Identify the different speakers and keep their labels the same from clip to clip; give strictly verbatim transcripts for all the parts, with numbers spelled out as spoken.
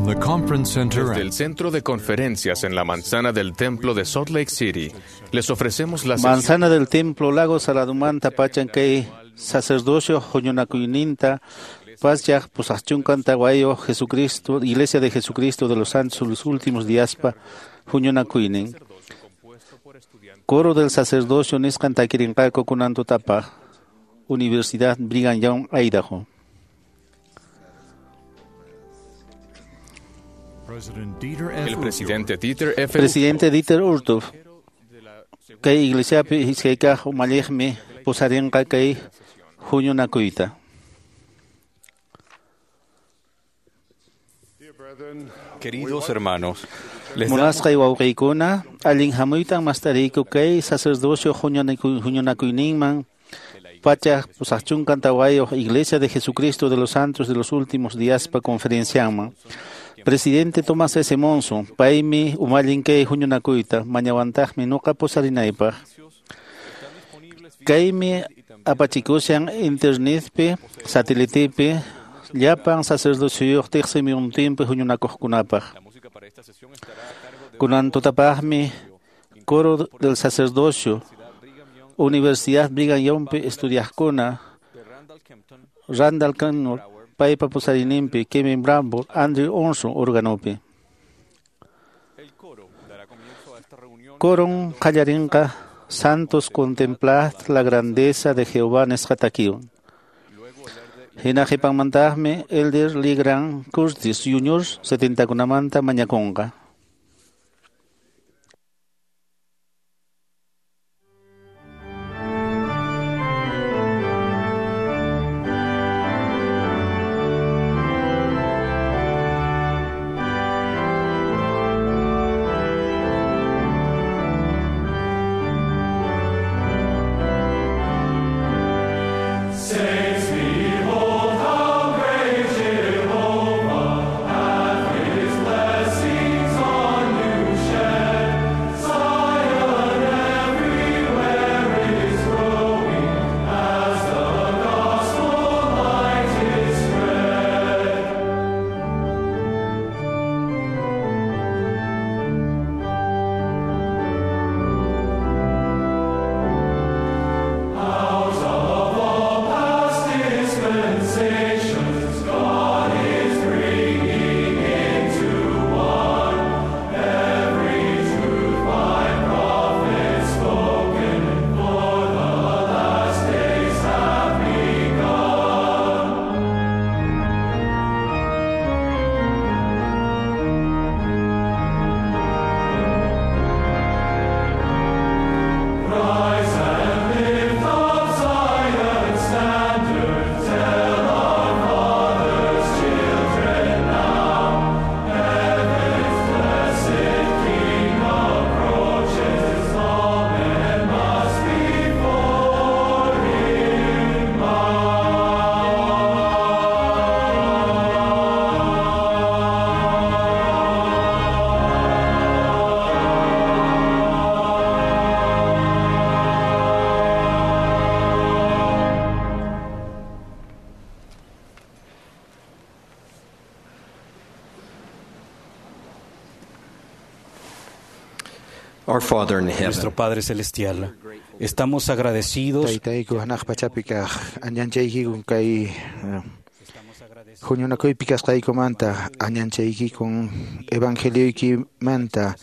Speaker 1: From the conference center
Speaker 2: Desde el centro de conferencias en la manzana del templo de Salt Lake City, les ofrecemos la sesión
Speaker 3: Manzana del Templo, Lago Saladumanta, Pachancay, Sacerdocio, Joñonacuyninta, Paz Pusachuncan, Taguayo, Jesucristo, Iglesia de Jesucristo de los Santos, los últimos días, pa, Juñonacuynin. Coro del Sacerdocio, Niscan Taquirincaco, Cunanto Tapa, Universidad Brigham Young, Idaho.
Speaker 1: President Dieter F.
Speaker 2: El presidente Dieter F.
Speaker 3: Presidente Dieter Uchtdorf, kay iglesiapi iskaykaq umalliqmi pusarinqa kay huñunakuyta.
Speaker 4: Queridos hermanos, les damos
Speaker 3: Munasqay wawqiykuna, allin hamuytan mastariyku kay sacerdocio huñunakuy- huñunakuyninman pachak pusaqchunkan tawayuq Iglesia de Jesucristo de los Santos de los Últimos Días pa conferencianman. Presidente Tomás S. Monson, paymi umallin kay huñunakuyta, mañawantaqmi nuqa pusarinaypaq. Kaymi apachikushan internetpi, satelitepi, llapan sacerdocioyuq tiqsimuyuntinpi huñunakuqkunapaq. Kunan tutapaqmi coro del sacerdocio, Universidad Brigham Youngpi estudiaqkuna, Randall Cannor, paypa pusarininpi, Kevin Bramble, Andrew Onson organopi. Coron qallarinqa Santos contemplad la grandeza de Jehová nisqa takiwan. Hina qhipanmantaqmi Elder Lee Grant Curtis Junior setentakunamanta mañakunqa.
Speaker 5: Saints, behold how great Jehovah hath his blessings on you shed. Zion everywhere is growing as the gospel light is spread. Out of all past dispensations, God is bringing into one every truth by prophets spoken, for the last days have begun. Rise and lift up Zion's standard, tell our fathers' children now. Heaven's blessed King approaches, all men must before him
Speaker 6: Our Father in heaven,
Speaker 7: Nuestro Padre Celestial, estamos agradecidos
Speaker 8: Taytayku hanaq pachapi kaq añanchaykikun kay eh, huñunakuypi kasqaykumanta añanchaykikun evangelioykimanta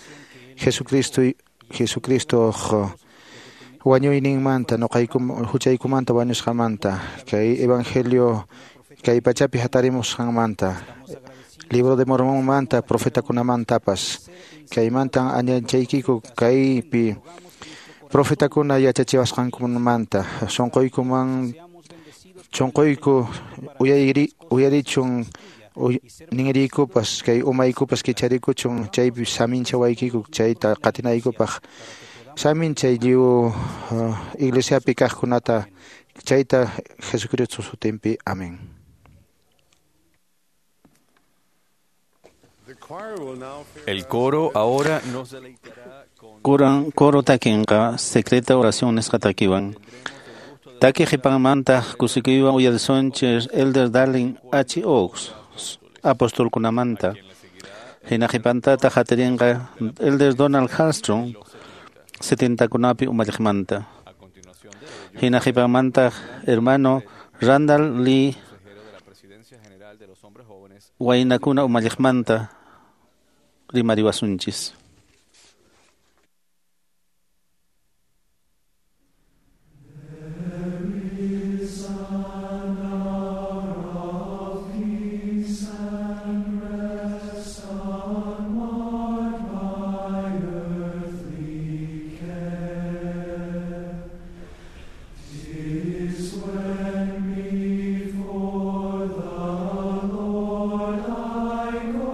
Speaker 8: Jesucristo Jesucristo wañuyninmanta nuqaykum huchaykumanta wañusqamanta kay evangelio kay pachapi hatarimusqanmanta libro de Mormonmanta profetakunamantapas kaymantan añanchaykiku kaypi profetakuna yachachiwasqankumanta sunquykuman sunquyku uyayri uyarichun uy, ninriykupas kay umaykupas kicharikuchun chaypi saminchawaykiku chayta qatinaykupaq saminchay lliw uh, iglesiapi kaqkunata chayta Jesucristo sutinpi amén.
Speaker 4: El coro ahora nos deleitará con
Speaker 3: Kuran coro takinqa secreta oración nisqa takiwan. Taki qhipanmantaq kusikuywan uyarisunchis Elder Darling H. Oaks, apostolkunamanta.
Speaker 4: quien le
Speaker 3: Hina qhipantata hatarinqa Elder Donald Hallstrom setentakunapi umalliqmanta. Hina qhipanmantaq hermano Randall Lee waynakuna umalliqmanta rimariwasunchis.
Speaker 5: Before the Lord I go.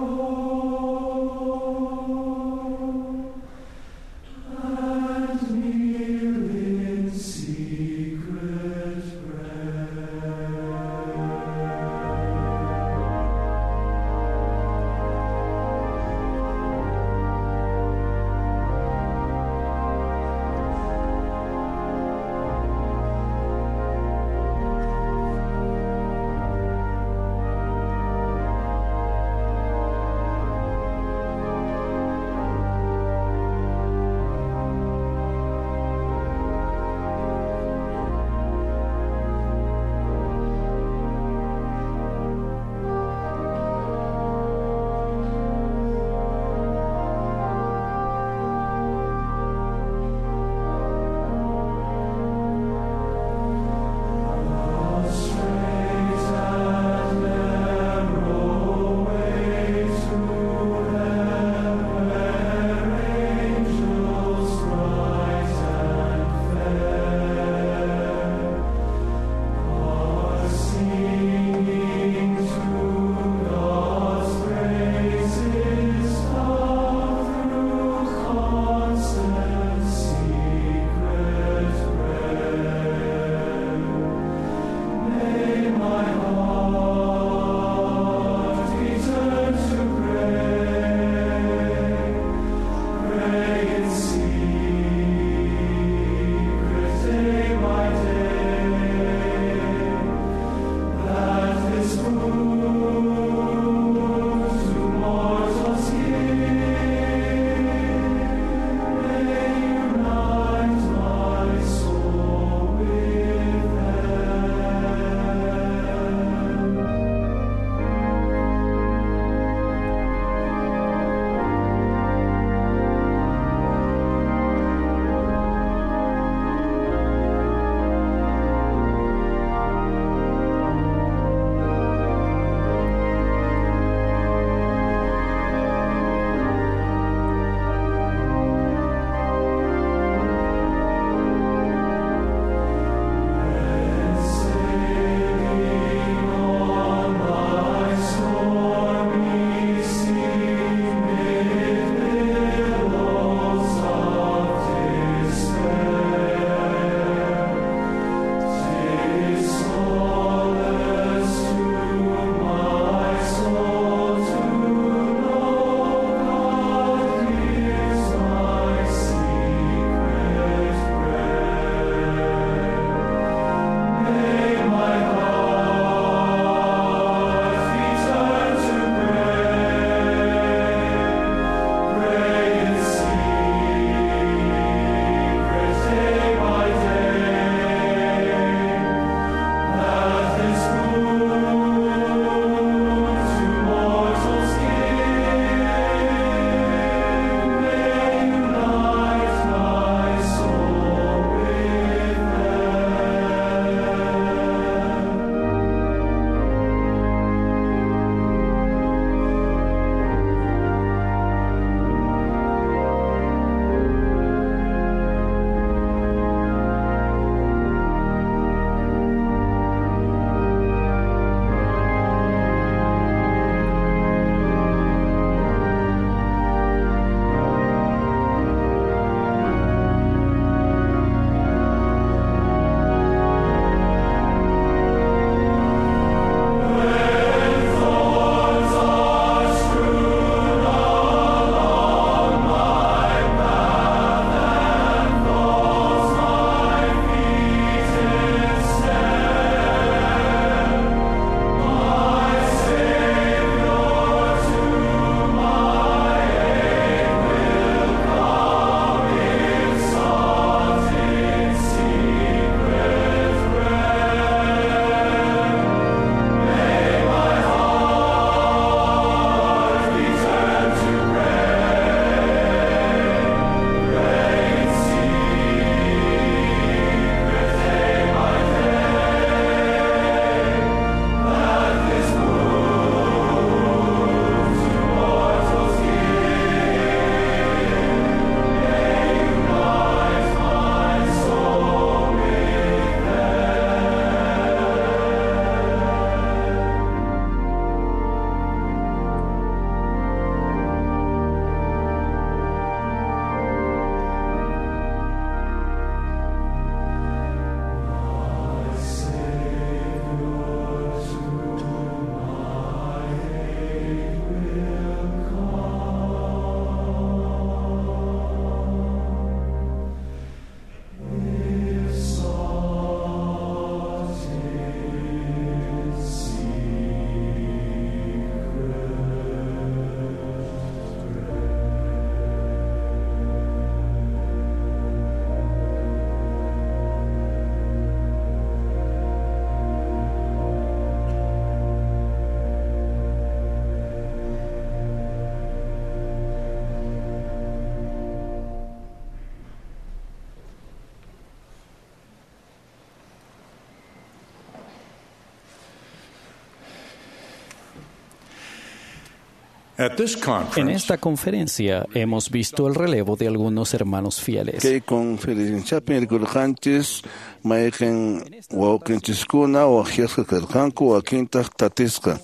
Speaker 7: En esta conferencia hemos visto el relevo de algunos hermanos fieles.
Speaker 3: Kay conferenciapin rikurqanchis mayqin wawqinchiskuna waqyasqa karqanku wakintaq tatisqa.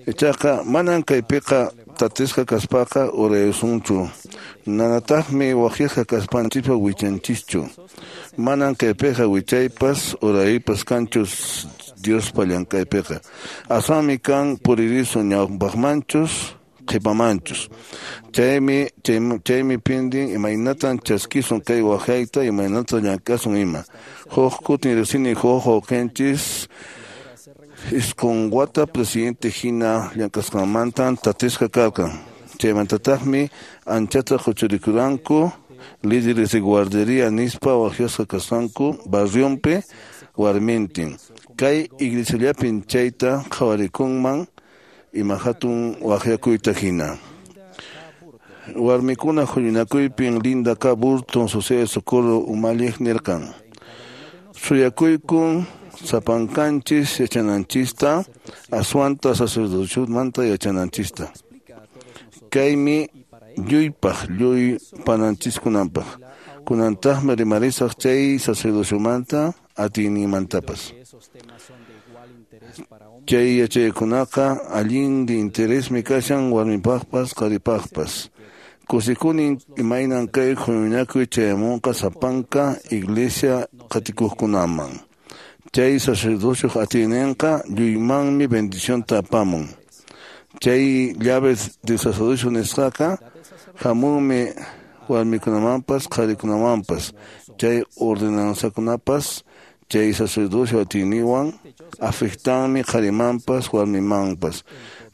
Speaker 3: Ichaqa manan kaypiqa tatisqa kaspaqa urayusunchu. Nanataqmi waqyasqa kaspanchispa wichanchischu. Manan kaypiqa wichaypas uraypas kanchu Diospa llank'aypiqa. Aswanmi kan puririsun ñawpaqmanchus qhipamanchus. Chaymi chaymi pindin imaynatan chaskisun kay waqyayta imaynatan llank'asun ima. Huk kutin riqsini huk wawqinchis isqun wata presidente hina llank'asqanmantan tatisqa karqan. Chaymantataqmi anchata huchurikuranku líderes de guardería nispa waqyasqa kasqanku barrionpi warmintin. Kay iglesiallapin chayta qhawarikunman ima hatun waqyakuyta hina. Warmikuna huñunakuypin Linda K. Burton Sociedad de Socorro umalliq nirqan. Suyakuykun sapankanchis yachananchista aswanta sacerdociomanta yachananchista. Kaymi lluypaq lluy pananchiskunanpaq. Kunantaqmi rimarisaq chay sacerdociomanta atiyninmantapas. Chay yachaykunaqa allin de interesmi kashan warmipaqpas qharipaqpas. Kusikunin imaynan kay huñunakuy chayamunqa sapanka iglesia qatikuqkunaman. Chay sacerdocioq atiyninqa lluymanmi bendicionta apamun. Chay llaves de sacerdocio nisqaqa hamunmi warmikunamanpas qharikunamanpas. Chay ordenanzakunapas chay sacerdocio atiyninwan afectanmi qharimanpas warmimanpas.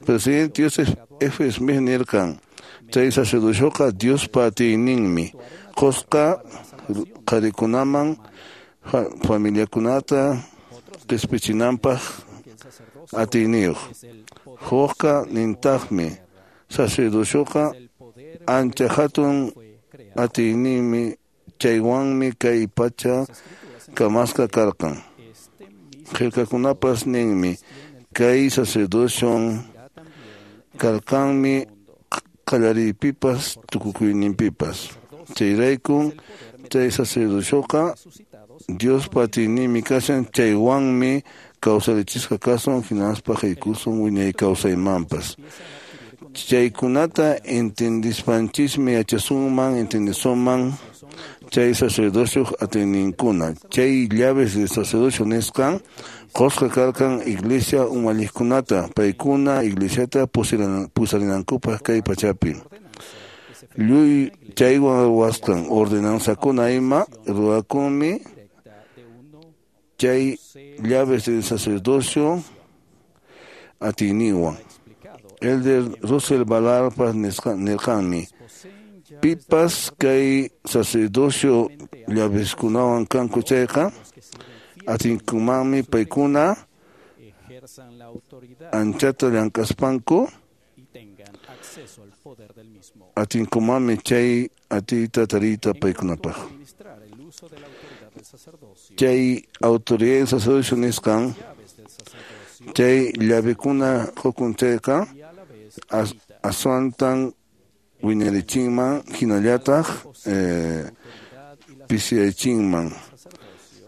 Speaker 3: Presidente Joseph F. Smith nirqan chay sacerdocioqa Diospa atiyninmi qusqa qharikunaman familiakunata qispichinanpaq atiyniyuq. Hukqa nintaqmi sacerdocioqa ancha hatun atiyninmi chaywanmi kay pacha kamasqa karqan. Qillqakunapas ninmi kay sacerdocion karqanmi qallariypipas tukukuyninpipas. Chayraykun chay sacerdocioqa Diospa atiyninmi kashan chaywanmi kawsarichisqa kasun hinaspa haykusun wiñay kawsaymanpas. Chaykunata entendispanchismi yachasunman entendisunman chay sacerdocio atiyninkuna. Chay llaves de sacerdocio nisqan qusqa karqan iglesia umalliqkunata paykuna iglesiata pusarinankupaq kay pachapi. Lluy chaywan ruwasqan ordenanzakuna ima ruwakunmi chay llaves del sacerdocio atiyninwan. Elder Russell Ballarpas nirqanmi pipas kay sacerdocio llaveskunawan kanku chayqa atinkumanmi paykuna anchata llank'aspanku atinkumanmi chay atiyta tariyta paykunapaq. Chay autoridad sacerdocio nisqan chay llavekuna qukun chayqa aswantan wiñarichinman hinallataq eh, pisiyachinman.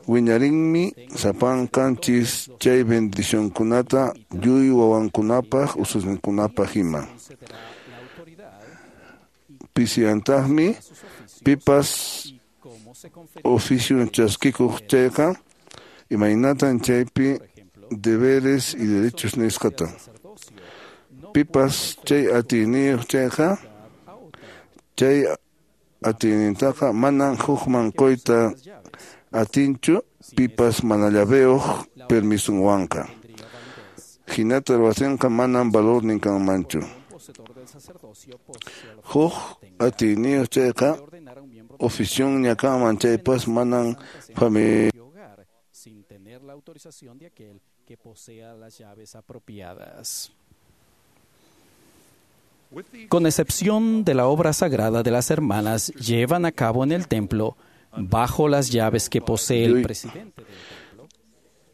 Speaker 3: Wiñarinmi sapankanchis chay bendicionkunata lluy wawankunapaq ususninkunapaq ima. Pisiyantaqmi pipas oficio chaskikuq chayqa imaynatan chaypi deberes y derechos nisqata. Pipas chay atiyniyuq chayqa chay atiynintaqa manan hukman quyta atinchu pipas mana llaveyuq permisunwanqa. Hinata ruwatinqa manan valornin kanmanchu. Huk atiyniyuq chayqa oficionña kanman chaypas manan familia
Speaker 7: sin tener la autorización de aquel que posea las llaves apropiadas. Con excepción de la obra sagrada de las hermanas, llevan a cabo en el templo bajo las llaves que posee el presidente del templo,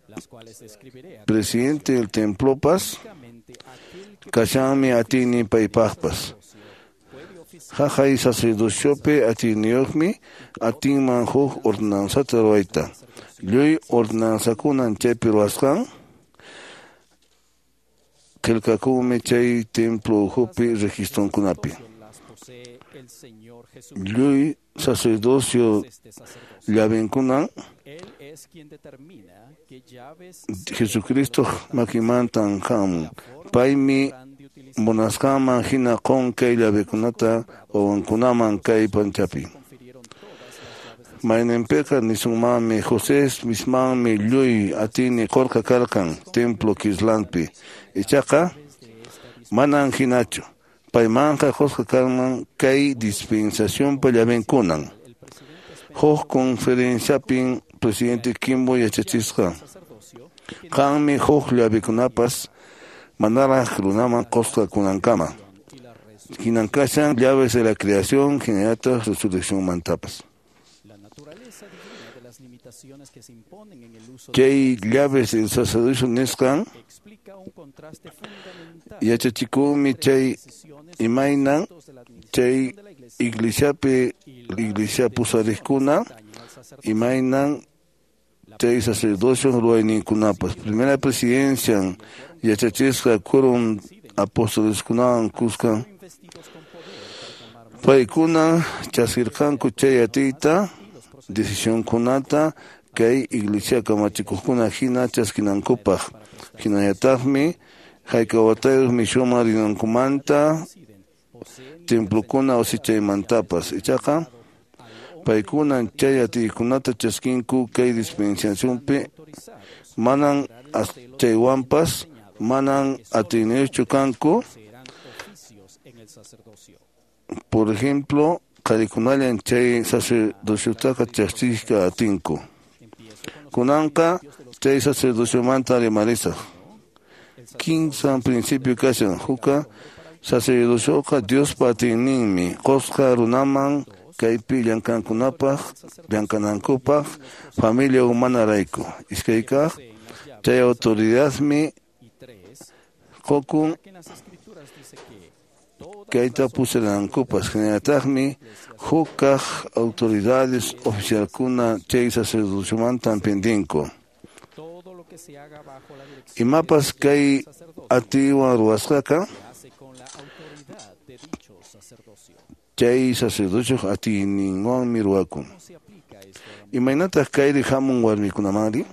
Speaker 7: las cuales describiré a
Speaker 3: Presidente del templo Paz,
Speaker 6: Kashanmi atiynin paypaqpas. Haqay sacerdociopi atiyniyuqmi atinman huk ordenanzata ruwayta. Lluy ordenanzakunan chaypi ruwasqan qillqakunmi chay templo ukhupi registronkunapi. Lluy sacerdocio llavenkunan Jesucristo makimantan hamun. Paymi munasqanman hina qun kay llavekunata wawankunaman kay panchapi. Mayninpiqa nisunmanmi José Smithmanmi lluy atiyni qurqa karqan templo Kirtlandpi. Ichaqa manan hinachu. Paymanqa qusqa karman kay dispensacionpa llavenkunan. Huk conferenciapin presidente Kimball yachachisqa. Qanmi huk llavekunapas manaraq runaman qusqa kunankama. Hinan kashan llaves de la creación hinallataq resurreccionmantapas. Chay llaves del sacerdocio nisqan yachachikunmi chay imaynan chay iglesiapi iglesia pusariqkuna imaynan chay sacerdocio ruwayninkunapas. Primera presidencia yachachisqa quórum apostoleskunawan kuska paykuna chaskirqanku chay atiyta decisionkunata kay iglesia kamachikuqkuna hina chaskinankupaq. Hinallataqmi hayka watayuq mishuman rinankumanta templokuna wasichaymantapas. Ichaqa paykunan chay atiykunata chaskinku kay dispensacionpi manan chaywanpas manan atiyniyuqchu kanku. Por ejemplo, qharikunallan chay sacerdociotaqa chaskiyta atinku. Kunanqa chay sacerdociomanta rimarisaq. Kimsa principio kashan hukqa sacerdocioqa Diospa atiyninmi qusqa runaman kaypi llamk'ankunapaq llamk'anankupaq familia humanarayku. Iskay kaq chay autoridadmi qukun kayta pusaranankupas. Hinallataqmi huk kaq autoridades oficialkuna chay sacerdociomantan pendinku. Imapas kay atiywan ruwasqaqa chay sacerdocioq atiyninwanmi ruwakun. Imaynataq kayri hamun warmikunamanri?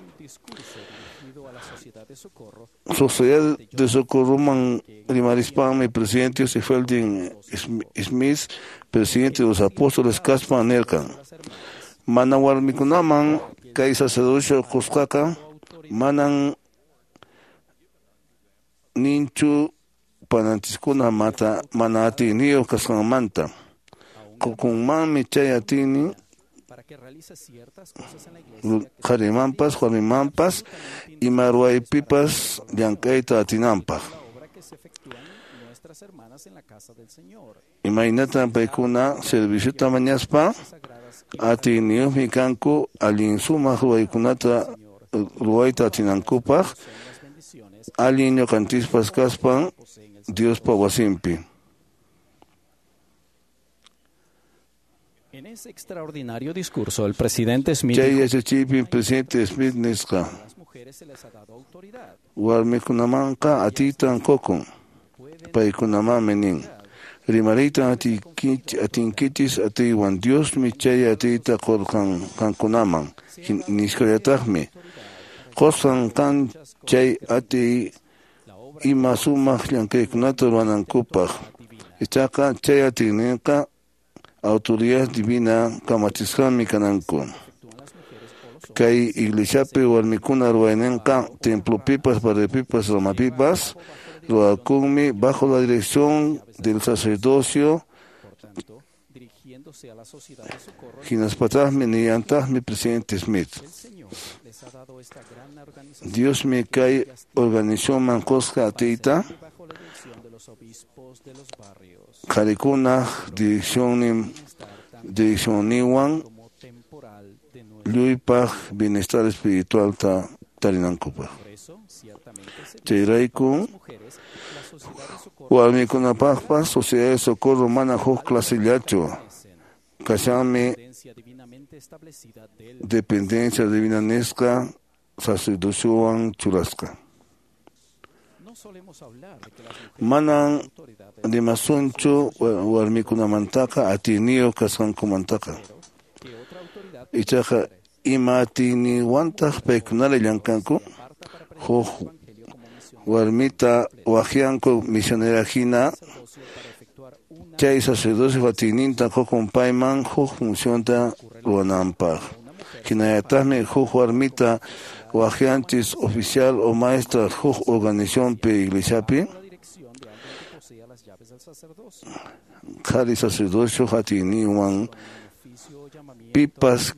Speaker 6: Sociedad de Socorroman rimarispanmi presidente Joseph Fielding Smith, presidente de los apóstoles kaspa nirqan. Mana warmikunaman kay sacerdocio qusqaqa manan ninchu pananchiskuna mata mana atiyniyuq kasqanmanta. Qukunmanmi chay atiynin qharimanpas warmimanpas ima ruwaypipas llamk'ayta atinanpaq. Imaynatan paykuna serviciota mañaspa atiyniyuqmi kanku allin sumaq ruwaykunata ruwayta atinankupaq allin ñuqanchispas kaspan Diospa wasinpi.
Speaker 7: En ese extraordinario discurso, el presidente Smith
Speaker 6: Chay yachachiypi presidente Smith nisqa warmikunamanqa atiytan qukun. Paykunamanmi nin rimariytan atinkichis atiywan Diosmi chay atiyta qurqan qankunaman. Nisqallataqmi qusqan kan chay atiy ima sumaq llamk'aykunata ruwanankupaq. Ichaqa chay atiyninqa autoridad divina kamachisqanmi kananku. Kay iglesiapi warmikuna ruwayninqa templopipas, barriopipas, ramapipas ruwakunmi bajo la dirección del sacerdocio. Hinaspataqmi nillantaqmi presidente Smith. Diosmi kay organizacionman qusqa atiyta qharikunaq direccionnin direccionninwan lluypaq bienestar espiritualta tarinankupaq. Chayrayku Warmikunapaqpas Sociedad de Socorro mana huk clasillachu. Kashanmi dependencia divina nisqa sacerdociowan churasqa. Manan rimasunchu warmikunamantaqa atiyniyuq kasqankumantaqa. Ichaqa ima atiyniwantaq paykunalla llamkanku? Huk warmita waqyanku misionera hina chay sacerdocio atiyninta qukun payman huk funcionta ruwananpaq. Hinallataqmi huk warmita waqyanchis oficial o maestra huk organizacionpi iglesiapi. Qhari sacerdocio atiyninwan pipas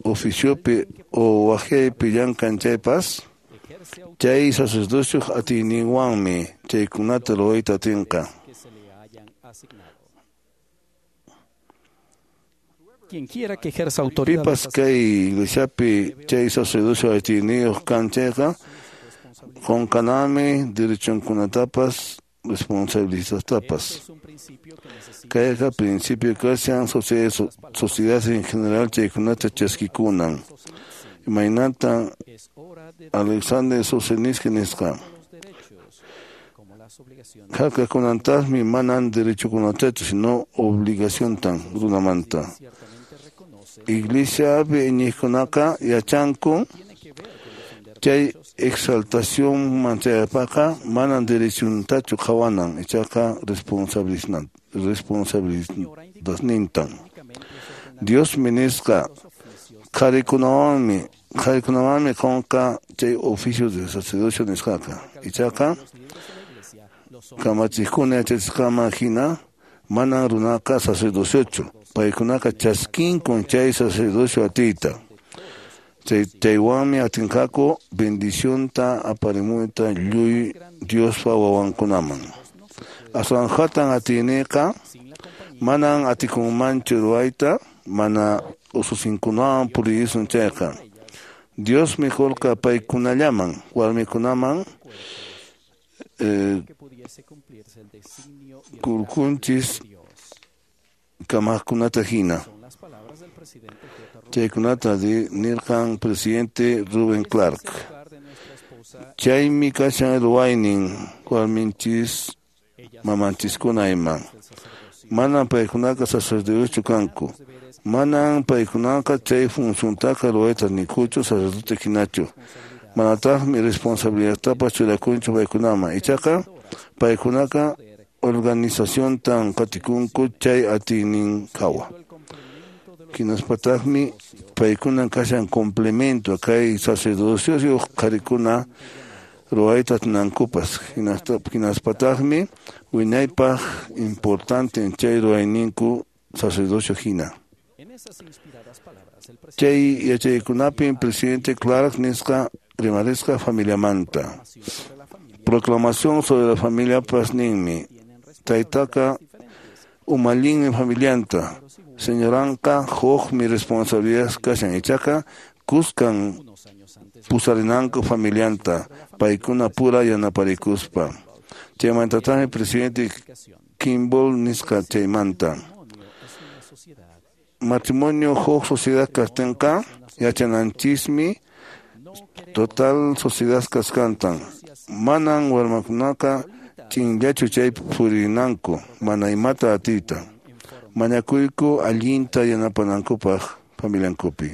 Speaker 6: oficiopi o waqyaypi llamkan chaypas chay sacerdocio atiyninwanmi chaykunata ruwayta atinqa.
Speaker 7: Quien quiera que ejerza autoridad
Speaker 6: Pipas kay iglesiapi chay sacerdocio atiyniyuq kan chayqa qunqanami derechunkunatapas responsabilidadtapas. Kayqa principio kashan sociedad en general chaykunata chaskikunan. Imaynatan Alexander Solzhenitsyn nisqa. Harkakunantaqmi manan derechokunatachu sino obligaciontan runamanta. Iglesiapi iñiqkunaqa yachanku chay exaltación manchayapaqqa manan derechuntachu qhawanan ichaqa responsabilidadnintan. Diosmi nisqa qharikunawanmi qharikunawanmi qunqa chay oficio de sacerdocio nisqaqa. Ichaqa kamachiqkuna yachachisqaman hina manan runaqa sacerdociochu. Paykunaqa chaskinkun chay sacerdocio atiyta. Chay chaywanmi atinqaku bendicionta aparimuyta lluy Diospa wawankunaman. Aswan hatan atiyniqa manan atikunmanchu ruwayta mana ususinkunawan puriyisun chayqa. Diosmi qurqa paykunallaman warmikunaman eh, kurkunchis kamaqkunata hina. Chaykunata nirqan presidente Reuben Clark. Chaymi kashan ruwaynin warminchis mamanchiskuna ima. Manan paykunaqa sacerdoteschu kanku. Manan paykunaqa chay funciontaqa ruwayta nikuchu sacerdote hinachu. Manataqmi responsabilidadtapas churakunchu paykunaman. Ichaqa paykunaqa organizaciontan qatikunku chay atiynin hawa. Hinaspataqmi paykunan kashan complemento kay sacerdocioyuq qharikuna ruwayta atinankupas. Hinaspataqmi wiñaypaq importante chay ruwayninku sacerdocio hina. Chay yachaykunapim presidente Clark nisqa rimarisqa familiamanta. Proclamación sobre la familia ninmi. Taytaqa umallinmi familianta. Señoranqa hukmi responsabilidad kashan ichaqa kuskan pusarinanku familianta paykuna pura yanaparikuspa. Chaymantataqmi presidente Kimball nisqa chaymanta. Matrimonio huk sociedad kaqtinqa yachananchismi total sociedad kasqantan. Manan warmakunaqa chinllachu chaypi purinanku mana imata atiyta. Mañakuyku allinta yanapanankupaq familiankupi.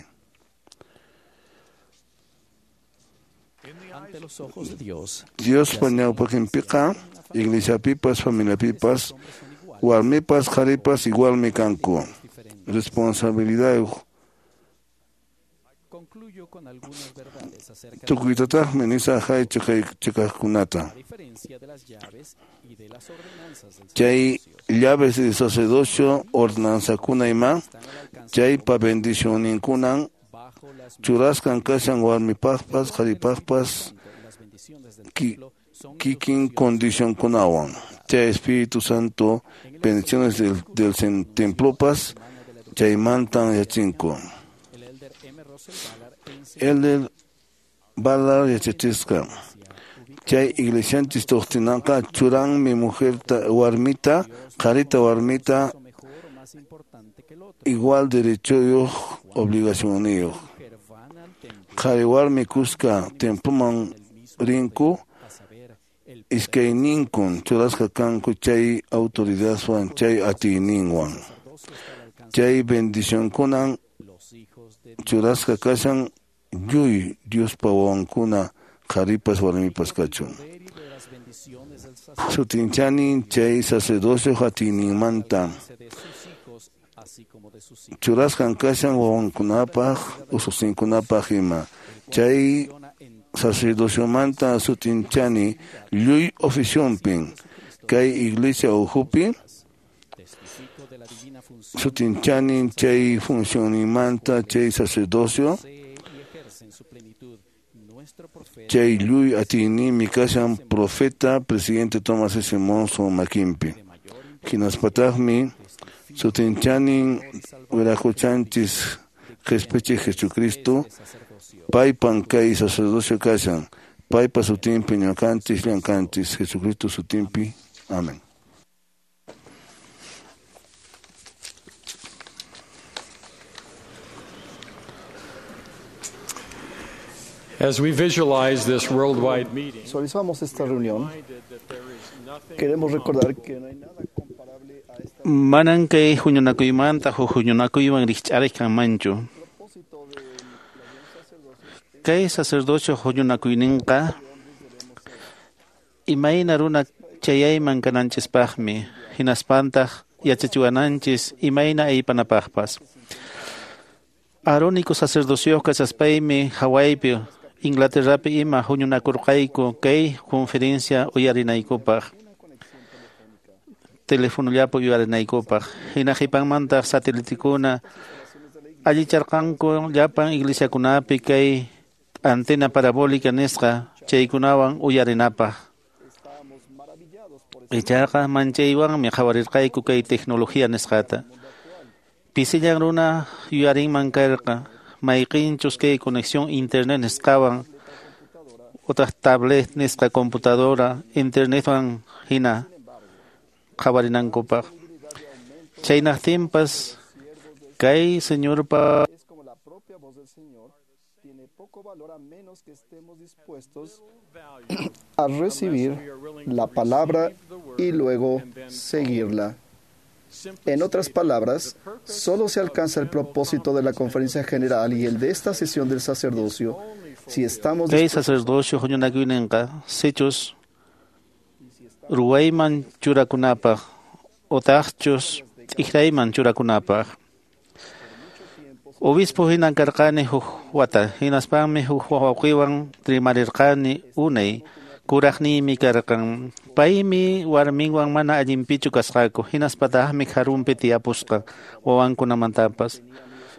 Speaker 6: Diospa ñawpaqinpiqa iglesiapipas familiapipas warmipas qharipas igualmi kanku. Responsabilidad tukuytataqmi nisaq chiqaqkunata. Chay llaves de sacerdocio ordenanzakuna ima chaypa bendicionninkunan churasqan kashan warmipaqpas qharipaqpas kikin condicionkunawan. Chay Espíritu Santo bendiciones del, del templopas chaymantan yachinku. Elder Ballard yachachisqa. Chay iglesianchis doctrinaqa churanmi mujerta warmita, qharita warmita igual derechoyuq obligacionniyuq. Qhari warmi kuska temploman rinku iskayninkun churasqa kanku chay autoridadwan chay atiyninwan. Chay bendicionkunan churasqa kashan lluy Diospa wawankuna qharipas warmipas kachun. Sutinchani chay sacerdocio atiyninmanta churasqan kashan wawankunapaq ususinkunapaq ima. Chay sacerdociomanta sutinchani lluy oficionpin kay iglesia ukhupi sutinchani chay funcionimanta chay sacerdocio chay lluy atiynimi kashan profeta presidente Thomas S. Monson makinpi. Hinaspataqmi sutinchanin wiraquchanchis qhispichiq Jesucristo paypan kay sacerdocio kashan paypa sutinpi ñuqanchis llamkanchis Jesucristo sutinpi. Amén.
Speaker 1: As we visualize this worldwide meeting,
Speaker 9: Visualizamos esta reunión. Queremos recordar que no hay nada comparable a esta
Speaker 3: Manan kay huñunakuymanta huk huñunakuywan rikch'ariq kanmanchu. Kay sacerdocio huñunakuyninqa imayna runa chayayman kananchispaqmi, hinaspantaq yachachiwananchis imayna aypanapaqpas. Aarónico sacerdocioq kachaspaymi Hawaiipi, Inglaterrapi ima huñunakurqayku kay conferencia uyarinaykupaq. Telefonollapi uyarinaykupaq. Hina qhipanmantaq satelitekuna allicharqanku llapan iglesiakunapi kay antena parabólica nisqa chaykunawan uyarinapaq. Ichaqa manchaywanmi qhawarirqayku kay tecnología nisqata. Pisillan runa yuyarinman karqa mayqinchus kay conexión internet nisqawan utaq tablet nisqa computadora internetwan hina qhawarinankupaq. Chaynaqtinpas kay señorpa
Speaker 9: es como la propia voz del Señor tiene poco valor a menos que estemos dispuestos a recibir la palabra y luego seguirla. En otras palabras, solo se alcanza el propósito de la conferencia general y el de esta sesión del sacerdocio si estamos
Speaker 3: kay sacerdocio huñunakuyninqa sichus ruwayman churakunapaq utaqchus t'ikrayman churakunapaq. Obispo hinan karqani huk wata, hinaspanmi huk wawqiwan rimarirqani unay kuraqniymi karqan. Paymi warminwan mana allinpichu kasqaku, hinaspataqmi karunpi tiyapusqa wawankunamantapas.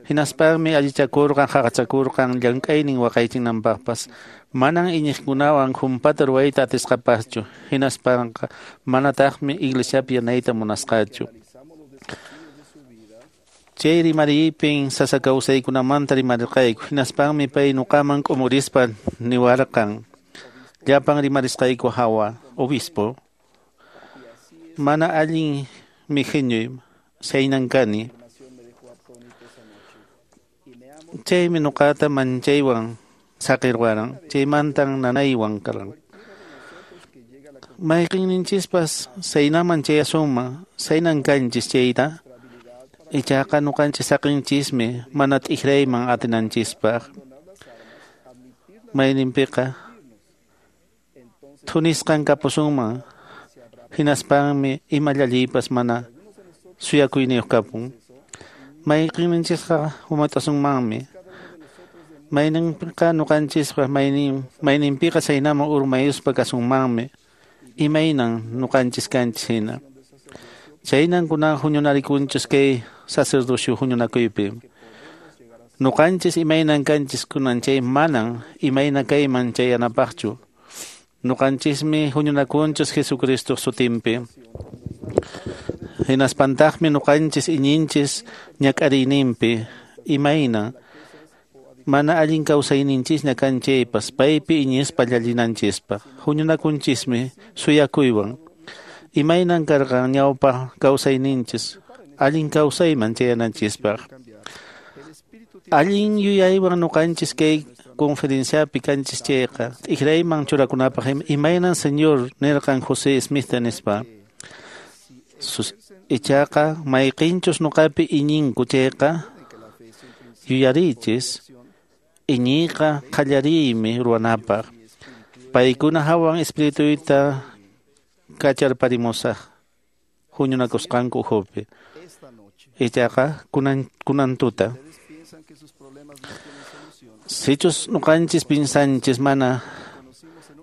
Speaker 3: Hinaspanmi allichakurqan haqachakurqan llank'aynin waqaychinanpaqpas. Manan iñiqkunawan humpata ruwayta atisqapaschu, hinaspanqa manataqmi iglesiapi yanayta munasqachu. Chay rimariypin sasa kawsaykunamanta rimarirqayku, hinaspanmi pay ñuqaman k'umurispa niwarqan. Llapan rimarisqayku hawa, obispo. Mana allin mijiñuy, saynan kani. Chaymi ñuqata manchaywan saqirwaran, chaymantan nanaywan karan. Mayqinninchispas saynaman chayasunman, saynan kanchis chayta. Ichaqa ñuqanchis saqinchismi mana t'ikrayman atinanchispaq. Mayninpiqa thunisqan kapusunman, hinaspanmi ima llalliypas mana suyakuyniyuq kapun. Mayqinninchisqa humat'asunmanmi. Mayninpiqa ñuqanchisqa maynin mayninpiqa saynaman urmayuspa kasunmanmi. Imaynan ñuqanchis kanchis hina. Chaynan kunan huñunarikunchis kay sacerdocio huñunakuypi. Ñuqanchis imaynan kanchis kunan chay manan imayna kayman chayanapaqchu. Ñuqanchismi huñunakunchis Jesucristo sutinpi. Hinaspantaqmi ñuqanchis iñinchis ñak'ariyninpi imayna Mana allin kawsayninchisña kan chaypas paypi iñispa llallinanchispaq. Huñunakunchismi suyakuywan. Imaynan karqan ñawpa kawsayninchis allin kawsayman chayananchispaq. Allin yuyaywan ñuqanchis kay conferenciapi kanchis chayqa t'ikrayman churakunapaq imaynan Señor nirqan José Smithta nispa. Ichaqa mayqinchus ñuqapi iñinku chayqa yuyarichis iñiyqa qallariymi ruwanapaq. Paykuna hawan espirituyta kacharparimusaq huñunakusqanku ukhupi. Ichaqa kunan kunan tuta. Sichus ñuqanchis pinsanchis mana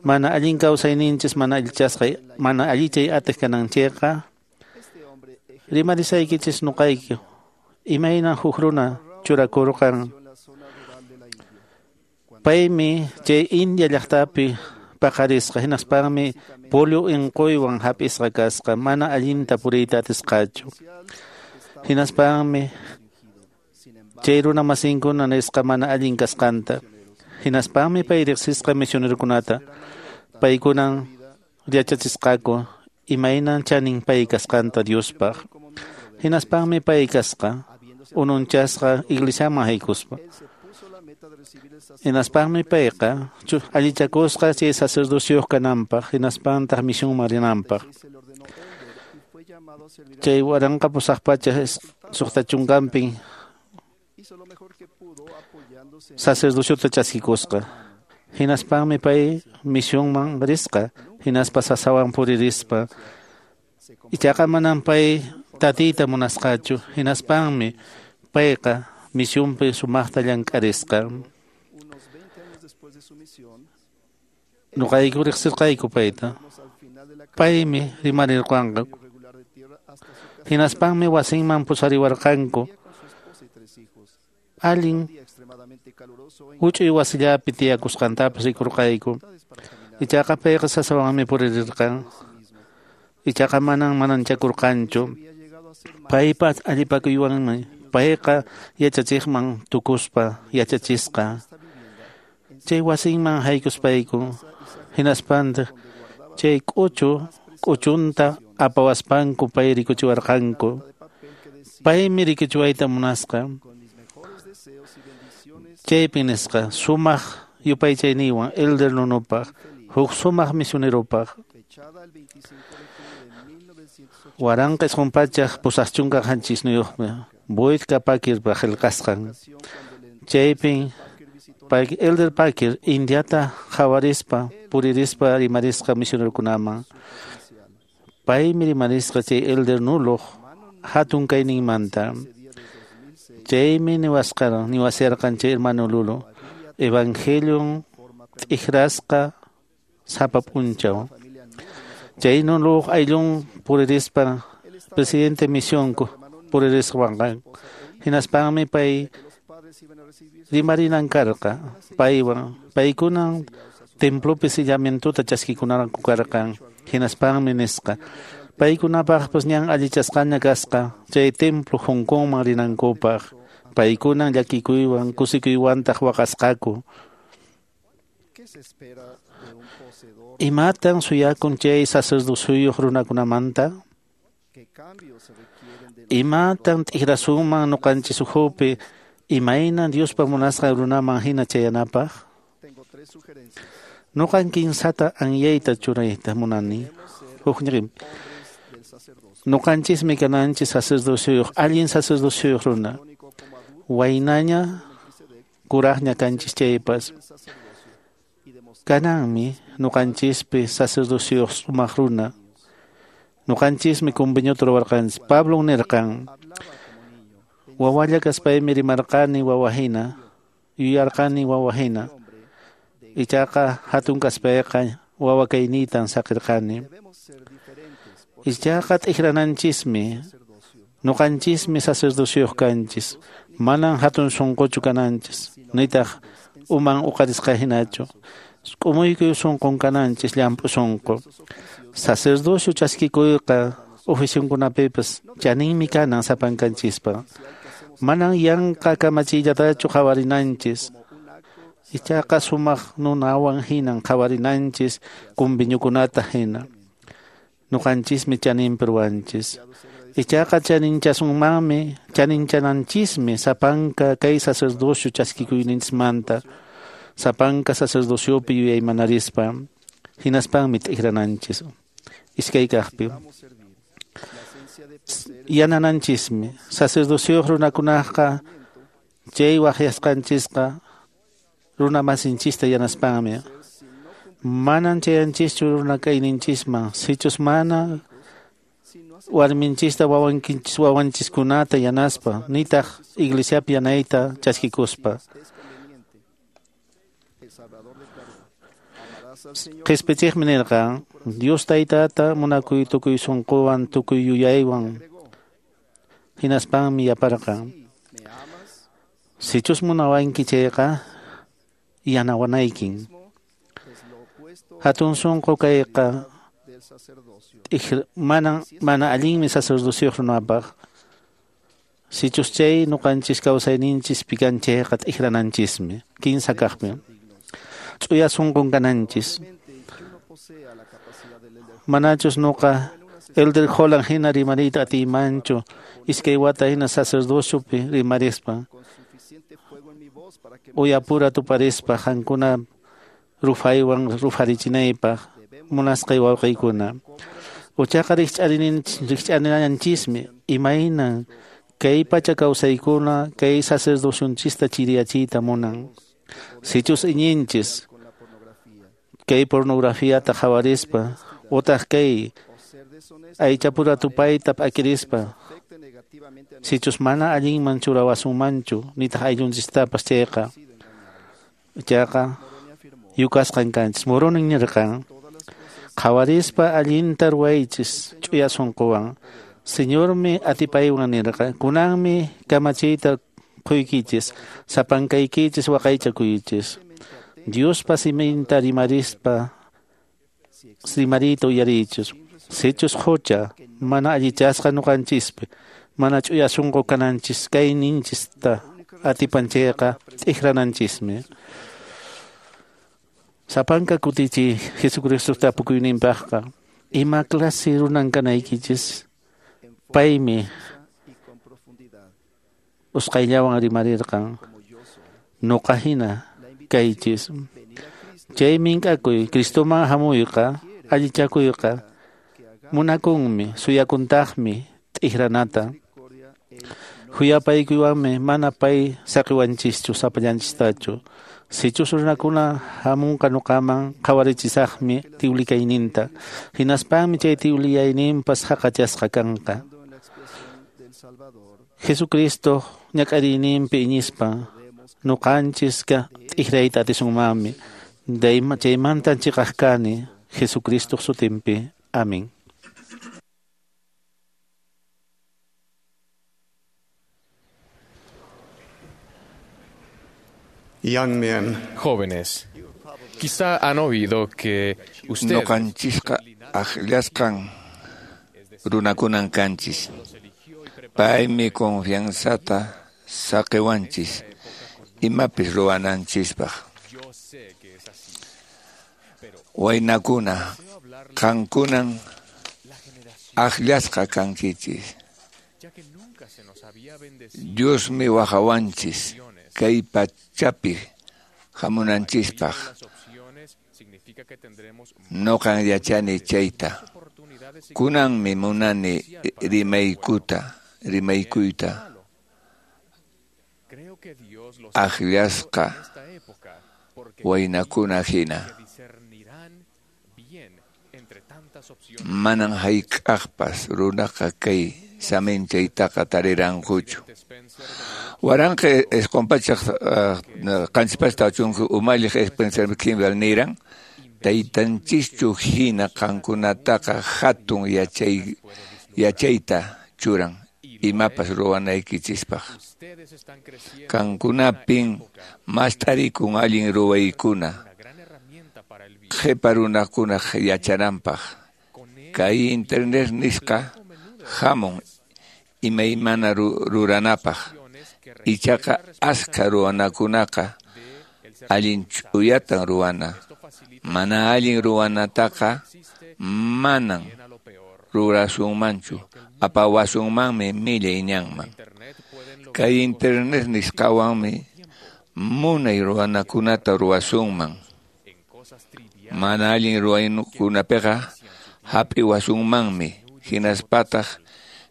Speaker 3: mana allin kawsayninchis mana allichasqa mana allichay atiq kananchikqa rimarisaykichis ñuqayki imaynan huk runa churakurqan. Paymi chay India llaqtapi paqarisqa hinaspanmi polio unquywan hap'isqa kasqa mana allinta puriyta atisqachu. Hinaspanmi chay runa masinkuna nisqa mana allin kasqanta. Hinaspanmi pay riqsisqa misionerokunata paykunan yachachisqaku imaynan chanin pay kasqanta Diospaq. Hinaspanmi pay kasqa ununchasqa iglesiaman haykuspa. Hinaspanmi payqa allichakusqa chay sacerdocioyuq kananpaq hinaspantaq misionman rinanpaq. Chay waranqa pusaq pacha suqta chunkanpin sacerdociota chaskikusqa. Hinaspanmi pay misionman risqa hinaspa sasawan puririspa. Ichaqa manan pay tatiyta munasqachu hinaspanmi payqa misionpi sumaqta llank'arisqa. Ñuqayku riqsirqayku payta. Paymi rimarirqanqa. Hinaspanmi wasinman pusariwarqanku. Allin huch'uy wasillapi tiyakusqantapas rikurqayku. Ichaqa payqa sasawanmi puririrqan. Ichaqa manan mananchakurqanchu. Paypa allipakuywanmi payqa yachachiqman tukuspa yachachisqa. Chay wasinman haykuspayku hinaspantaq chay k'uchu k'uchunta apawaspanku pay rikuchiwarqanku. Paymi rikuchiwayta munasqa. Chaypi nisqa sumaq yupaychayniwan Elder Nunupaq huk sumaq misioneropaq. Waranqa isqun pachak pusaq chunka qanchisniyuqmi Boyd K. Packer qillqasqan. Chaypin Elder Packer Indiata qhawarispa puririspa rimarisqa misionerokunaman. Paymi rimarisqa chay Elder Nuluq hatun kayninmanta. Chaymi niwasqaran niwasirqan chay hermano Lulu Evangelion t'ikrasqa sapa p'unchaw. Chay Nuluq ayllun puririspa presidente misionku puririsqanqa. Hinaspanmi pay rimarinan karqa paywan paykunan templopi sellamientota chaskikunanku karqan. Hinaspanmi nisqa paykunapaqpas ñan allichasqaña kasqa chay templo Hong Kongman rinankupaq. Paykunan llakikuywan kusikuywantaq waqasqaku. Imatan suyakun chay sacerdocioyuq runakunamanta? Imatan t'ikrasunman ñuqanchis ukhupi imaynan Diospa munasqan runaman hina chayanapaq? Ñuqan kinsata anyayta churayta munani. Hukñiqim. Ñuqanchismi kananchis sacerdocioyuq allin sacerdocioyuq runa. Waynaña kuraqña kanchis chaypas. Kananmi ñuqanchispi sacerdocioyuq sumaq runa. Ñuqanchismi conveniota ruwarqanchis. Pablo nirqan wawalla kaspaymi rimarqani wawahina yuyarqani wawahina. Ichaqa hatun kaspayqa wawa kayniytan saqirqani. Ichaqa t'ikrananchismi ñuqanchismi sacerdocioyuq kanchis. Manan hatun sunquchu kananchis nitaq uman uqarisqa hinachu. K'umuykuy sunqun kananchis llamp'u sunqu. Sacerdocio chaskikuyqa oficionkunapipas chaninmi kanan sapankanchispa. Manan yanqa kamachiyllatachu qhawarinanchis. Ichaqa sumaq nunawan hinan qhawarinanchis kunviñukunata hina. Nuqanchismi chaninpi ruwanchis. Ichaqa chaninchasunmanmi, chaninchananchismi sapanka kay sacerdocio chaskikuyninchismanta, sapanka sacerdociopi yuyaymanarispa, hinaspanmi t'ikrananchis. Iskay kaqpi. Yanananchismi sacerdocioyuq runakunaqa chay waqyasqanchisqa runa masinchista yanaspanmi. Manan chayanchischu runa kayninchisman, sichus mana warminchista wawankinchis wawanchiskunata yanaspa, nitaq iglesiapi yanayta chaskikuspa. Qhispichiqmi nirqan, Dios taytata munakuy tukuy sunquwan tukuy yuyaywan, hinaspanmi yaparqan. Sichus munawanki chayqa yanawanaykin. Hatun sunqu kayqa mana mana allinmi sacerdocioyuq runapaq. Sichus chay nuqanchis kawsayninchis pikan chayqa t'ikrananchismi. Kinsa kaqmi. Ch'uya sunqun kananchis. Manachus nuqa Elder Holland hina rimariyta atiymanchu iskay wata hina sacerdociopi rimarispa. Uyapura tuparispa qankuna rufaywan rufarichinaypaq munasqay wawqiykuna. Uchaqa rikch'arinanchismi imaynan kay pacha kawsaykuna kay sacerdocionchista chiriyachiyta munan. Sichus iñinchis kay pornografiata qhawarispa utaq kay aychapura tupayta p'akirispa, sichus mana allinman churawasunmanchu nitaq ayllunchistapas chayqa ichaqa yukasqan kanchis. Moroni nirqan, qhawarispa allinta ruwaychis ch'uya sunquwan. Señormi atipaywan nirqa, kunanmi kamachiyta quykichis, sapankaykichis waqaychakuychis. Diospa siminta rimarispa rimariyta uyariychis. Sichus hucha mana allichasqa nuqanchispi, mana ch'uya sunqu kananchis kayninchista atipanchayqa t'ikrananchismi. Sapanka kutichi Jesucristo tapukuyninpaqqa ima clase runan kanaykichis paymi usqayllawan rimarirqan nuqa hina kaychis. Chay mink'akuy Cristoman hamuyqa allichakuyqa munakunmi suyakuntaqmi t'ikranata. Huyapaykuywanmi mana pay saqiwanchischu sapallanchistachu. Sichus runakuna hamunqa nuqaman qhawarichisaqmi tiwlikayninta, hinaspanmi chay tiwliyayninpas haqachasqa kanqa. Jesucristo ñak'ariyninpi iñispa nuqanchiska t'ikrayta atisunmanmi. Chaymantan chiqaq kani Jesucristo sutinpi. Amén.
Speaker 10: Young men.
Speaker 2: Jóvenes, quizá han oído que ustedes
Speaker 6: Nuqanchisqa akllasqan runakunan kanchis. Paymi confianzata saqiwanchis imapis ruwananchispaq. Waynakuna, qankunan akllasqa kankichis. Diosmi wajawanchis kay pachapi hamunanchispaq. Noqan yachani chayta. Kunanmi munani rimaykuta, rimaykuyta. Akllasqa waynakuna hina. Manan hayk'aqpas runaqa kay saminchaytaqa tarirankuchu. Waranqa isqun pachak qanchis pachak chunka umalliq Spencer Kimball niran, taytanchischu hina qankunataqa hatun yachay yachayta churan imapas ruwanaykichispaq. Qankunapin mast'arikun allin ruwaykuna qhipa runakunaq yachananpaq. Kay internet nisqa hamun imaymana ruranapaq. Ichaqa askha ruwanakunaqa
Speaker 10: Allin ch'uyatan ruwana. Mana allin ruwanataqa manan rurasunmanchu. Apawasunmanmi millay ñanman. Kay internet nisqawanmi munay ruwanakunata ruwasunman. Mana allin ruwaykunapiqa hap'iwasunmanmi, hinaspataq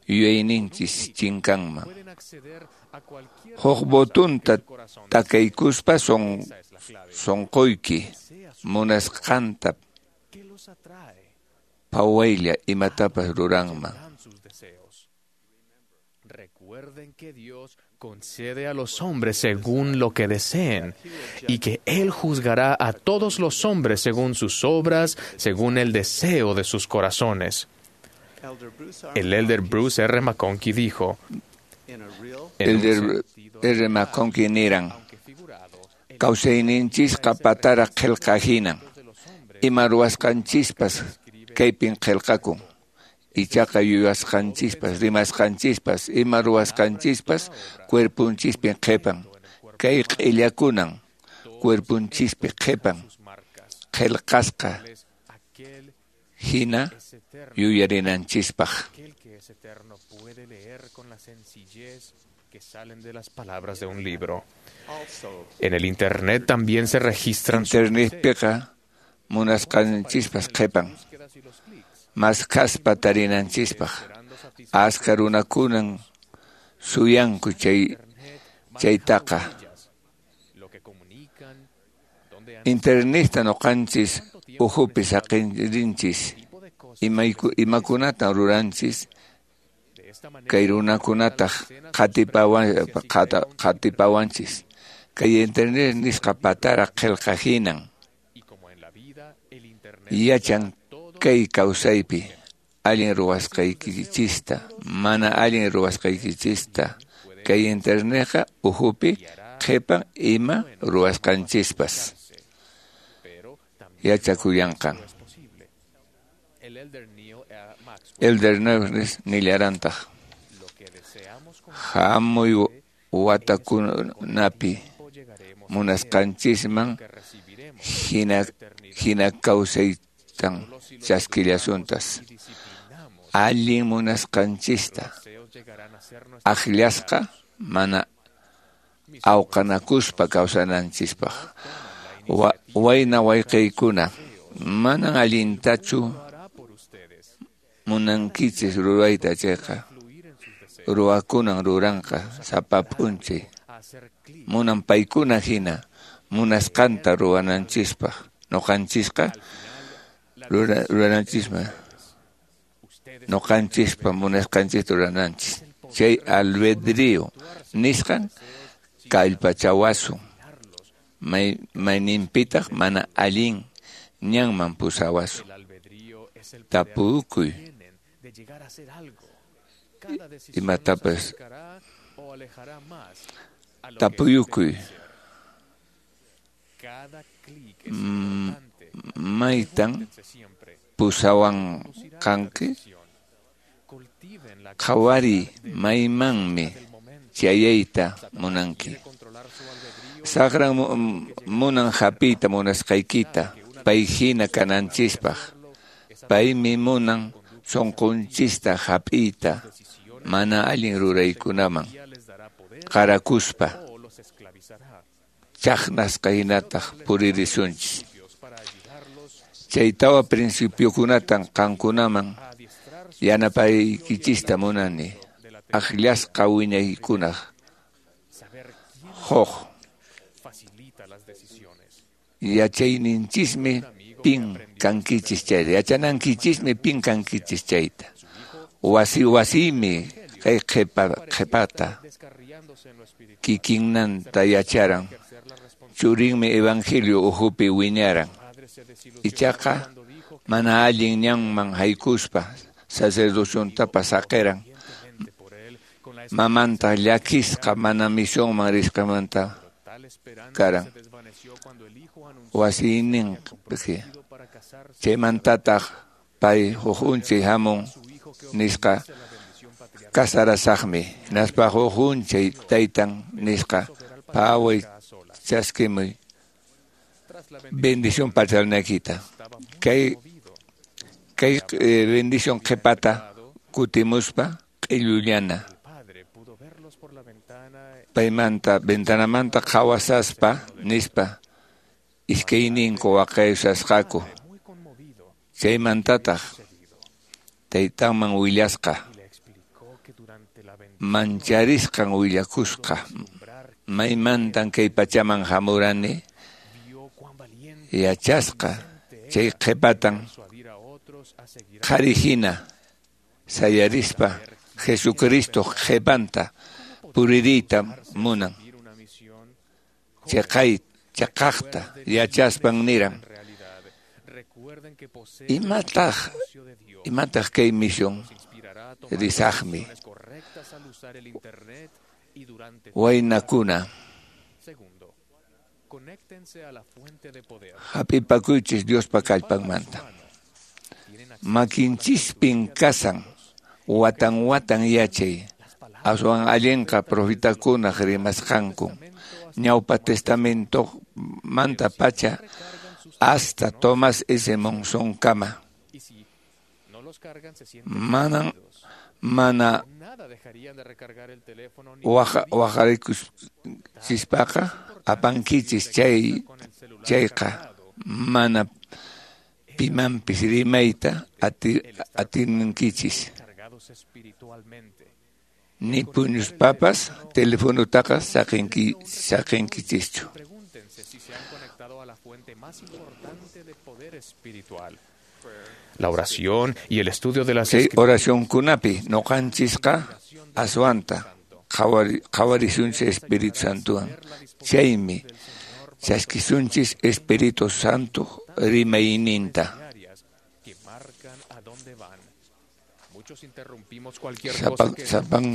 Speaker 10: yuyayninchis chinkanman. Huk botunta takaykuspa son sonqoyki munasqanta phawaylla imatapas ruranman.
Speaker 2: Recuerden que Dios concede a los hombres según lo que deseen y que Él juzgará a todos los hombres según sus obras, según el deseo de sus corazones. El elder Bruce R. McConkie dijo,
Speaker 10: Elder R. McConkie niran, kawsayninchisqa patara qillqa hinan, ima ruwasqanchispas kaypin qillqakun. Ichaqa yuyasqanchispas, rimasqanchispas, ima ruwasqanchispas cuerpunchispin qhipan. Kay q'illakunan cuerpunchispi qhipan. Qillqasqa hina yuyarinanchispaq.
Speaker 2: Palabras de un libro. En el internet también se registran
Speaker 10: Internetpiqa munasqanchispas qhipan. Maskhaspa tarinanchispaq. Aska runakunan suyanku chay chaytaqa. Internetta nuqanchis uhupi saqirinchis. Imakunatan ruranchis kay runakunataq qatipawan qatipawanchis. Kay internet nisqa patara qillqa hinan. Yachan kay kawsaypi allin ruwasqaykichista, mana allin ruwasqaykichista. Kay internetqa uhupi qhipan ima ruwasqanchispas yachakullanqan. Elder Neves nillarantaq, hamuy watakunapi munasqanchisman hina hina kawsaytan chaskillasuntas. Allin munasqanchista akllasqa mana awqanakuspa kawsananchispaq. Wayna wayqiykuna manan allintachu munankichis rurayta chayqa ruwakunan ruranqa sapa p'unchay. Munan paykuna hina munasqanta ruwananchispaq. Nuqanchisqa rurananchisma nuqanchispa munasqanchista rurananchis. Chay albedrío nisqan kallpachawasun. May mayninpitaq mana allin ñanman pusawasun. Tapukuy imatapas tapuyukuy maytan pusawanqanki. Qhawariy maymanmi chayayta munanki. Saqran munan hapiyta munasqaykita pay hina kananchispaq. Paymi munan sunqunchista hap'iyta mana allin ruraykunaman qarakuspa chaqnasqa hinataq puririsunchis. Chay tawa principiokunatan qankunaman yanapaykichista munani akllasqa wiñaykunaq. Huk yachayninchismi pin kankichis chayta, yachanankichismi pin kankichis chayta. Wasi wasimi kay qhipa qhipata kikinnanta yacharan. Churinmi evangelio uhupi wiñaran. Ichaqa mana allin ñanman haykuspa sacerdociontapas saqiran. Mamanta llakisqa mana misionman risqamanta karan. Wasiyninpi chaymantataq pay huk unchay hamun nisqa kasarasaqmi. Hinaspa huk unchay taytan nisqa phaway chaskimuy Bendición pachalnaykita. Kay kay eh, bendición qhipata kutimuspa q'illullana. Paymanta ventanamanta qhawasaspa nispa iskayninku waqaysasqaku. Chaymantataq taytanman willasqa. Mancharisqan willakusqa. Maymantan kay pachaman hamurani yachasqa chay qhipatan qhari hina sayarispa Jesucristo qhipanta puririyta munan. Chaqay chaqaqta yachaspan niran. Imataq imataq kay misión risaqmi waynakuna hap'ipakuychis Diospa kallpanmanta. Makinchispin kasan watan watan yachay aswan allinqa profetakunaq rimasqanku ñawpa testamento manta pacha hasta Thomas S. Monson kama. Manan mana waqarikuspaqa apankichis chay chayqa mana pimanpis rimayta ati, atinkichis. Ni puñuspapas telefonutaqa saqinki saqinkichischu.
Speaker 2: La oración y el estudio de las
Speaker 10: Chay oracionkunapi ñuqanchisqa aswanta qhawarisunchis Espíritu Santowan. Chaymi chaskisunchis Espíritu Santo rimayninta. Sapan sapan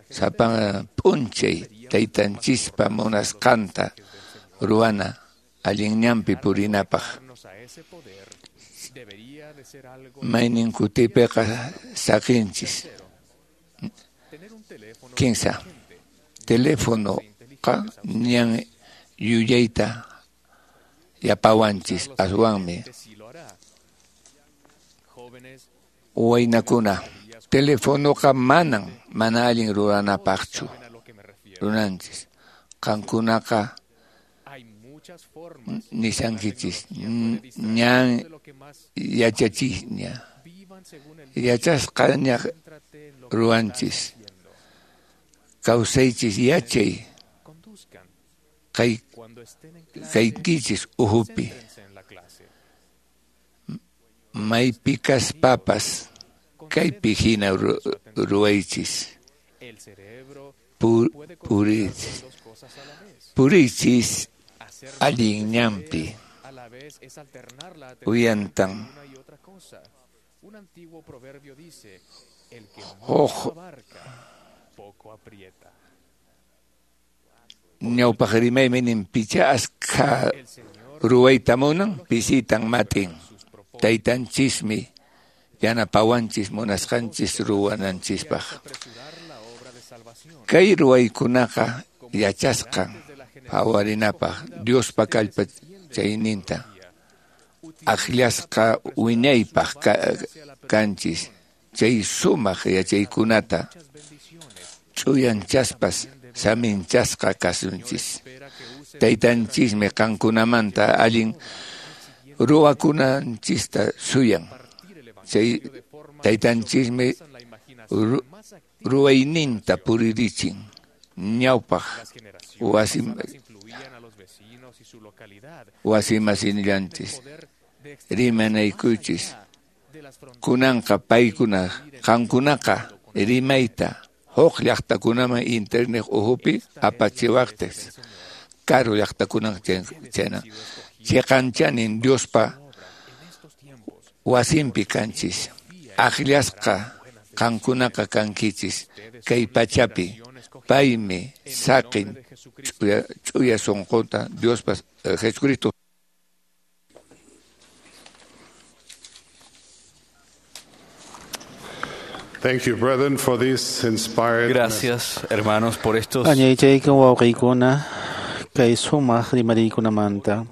Speaker 10: sapan p'unchay taytanchispa munasqanta ruwana allin ñanpi purinapaq. Maynin kutipiqa saqinchis. Kinsa telefonoqa ñan yuyayta yapawanchis aswanmi. Waynakuna telefonoqa manan mana allin ruranapaqchu runanchis. Qankunaqa nishankichis ñan yachachisña yachasqaña ruwanchis. Kawsaychis yachay kay kaykichis uhupi maypi kaspapas kaypi hina ruwaychis. Pur, purichis purichis allin ñanpi uyantan huk ñawpaq rimaymi nin picha askha ruwayta munan pisitan matin. Taytanchismi yanapawanchis munasqanchis ruwananchispaq. Kay ruwaykunaqa yachasqan phawarinapaq Diospa kallpachayninta akllasqa wiñaypaq kanchis chay sumaq yachaykunata ch'uyanchaspas saminchasqa kasunchis. Taytanchismi qankunamanta allin ruwakunanchista suyan. Chay taytanchismi ruwayninta puririchin ñawpaq wasi wasimasinllanchis rimanaykuchis. Kunanqa paykuna qankunaqa rimayta huk llaqtakunaman internet uhupi apachiwaqtis karu llaqtakunan chayna chiqanchanin Diospa wasinpi kanchis. Akllasqa qankunaqa kankichis kay pachapi paymi saqin ch'uya, ch'uya sunqunta Diospa Jesucristo.
Speaker 11: Thank you, brethren, for this inspired
Speaker 4: Gracias, hermanos, por estos
Speaker 3: Añaychaykan wawqiykuna Kay sumaq rimariykunamanta.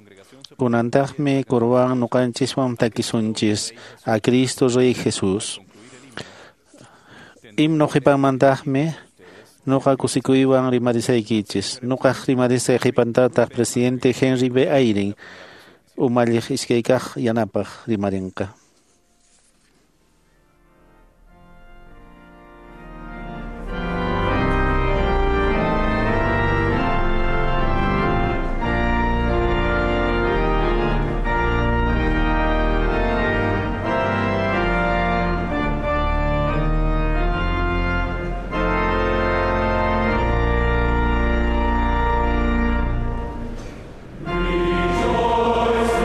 Speaker 3: Kunantaqmi kurwan nuqanchiswan takisunchis a Cristo Rey Jesús. Himno qhipanmantaqmi nuqa kusikuywan rimarisaykichis. Nuqaq rimarisay qhipantataq presidente Henry B. Eyring umalliq iskaykaq yanapaq rimarinqa.
Speaker 5: Rejoice, the Lord is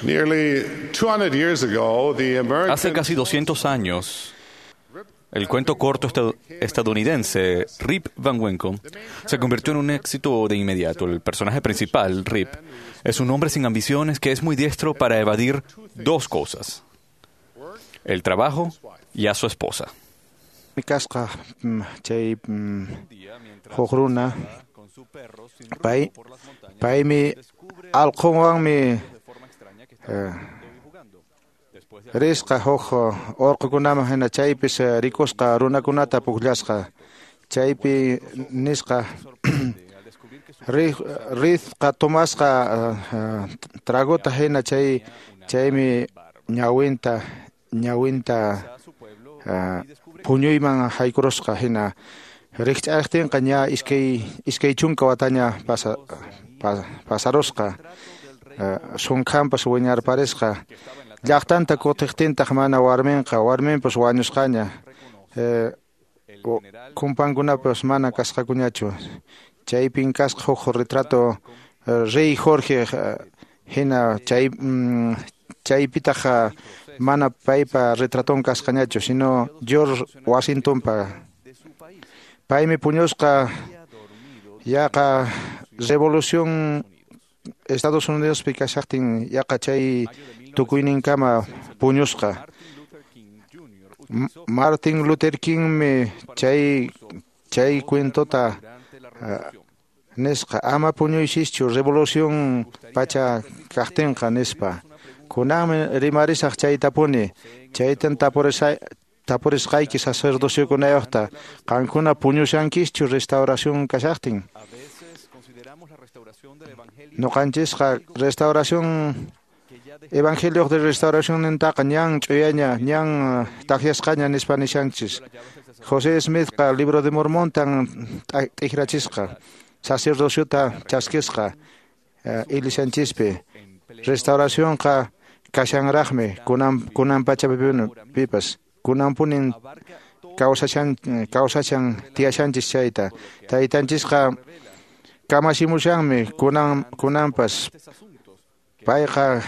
Speaker 11: Nearly two hundred years ago, the American
Speaker 4: Hace casi doscientos años, el cuento corto estadounidense Rip Van Winkle se convirtió en un éxito de inmediato. El personaje principal, Rip, es un hombre sin ambiciones que es muy diestro para evadir dos cosas: el trabajo y a su esposa.
Speaker 8: Mi kasqa chay huk runa pay paymi allqunwanmi risqa huk urqukunaman hina chaypis rikusqa runakunata pukllasqa chaypi nisqa risqa tomasqa tragota hina chay chaymi ñawinta ñawinta puñuyman haykurusqa hina rikch'aqtinqa ña iskay iskay chunka wataña pasa pasarusqa sunkhanpas wiñarparisqa llaqtanta kutiqtintaq mana warminqa warminpas wañusqaña kumpankunapas mana kasqakuñachu chaypin kasqa huk retrato rey Jorge hina chay chaypitaq mana paypa retraton kasqañachu sino George Washingtonpa paymi puñusqa yaqa revolución Estados Unidospi kashaqtin yaqa chay tukuyninkama puñusqa Martin Luther Kingmi chay chay cuentota nisqa ama puñuychischu revolución pacha kaqtinqa nispa. Kunanmi rimarisaq chaytapuni, chaytan tapurisay tapurisqayki sacerdociokunayuqta, qankuna puñushankischu restauración kashaqtin. Ñuqanchisqa restauración evangelio de restauración nintaqa ñan ch'uyaña ñan takyasqaña nispa nishanchis. José Smithqa libro de Mormontan t'ikrachisqa, sacerdociota chaskisqa iglesianchispi. Restauracionqa kashanraqmi kunan kunan pachapipas, kunanpunin kawsashan kawsashan tiyashanchis chayta. Taytanchisqa kamachimushanmi kunan kunanpas. Payqa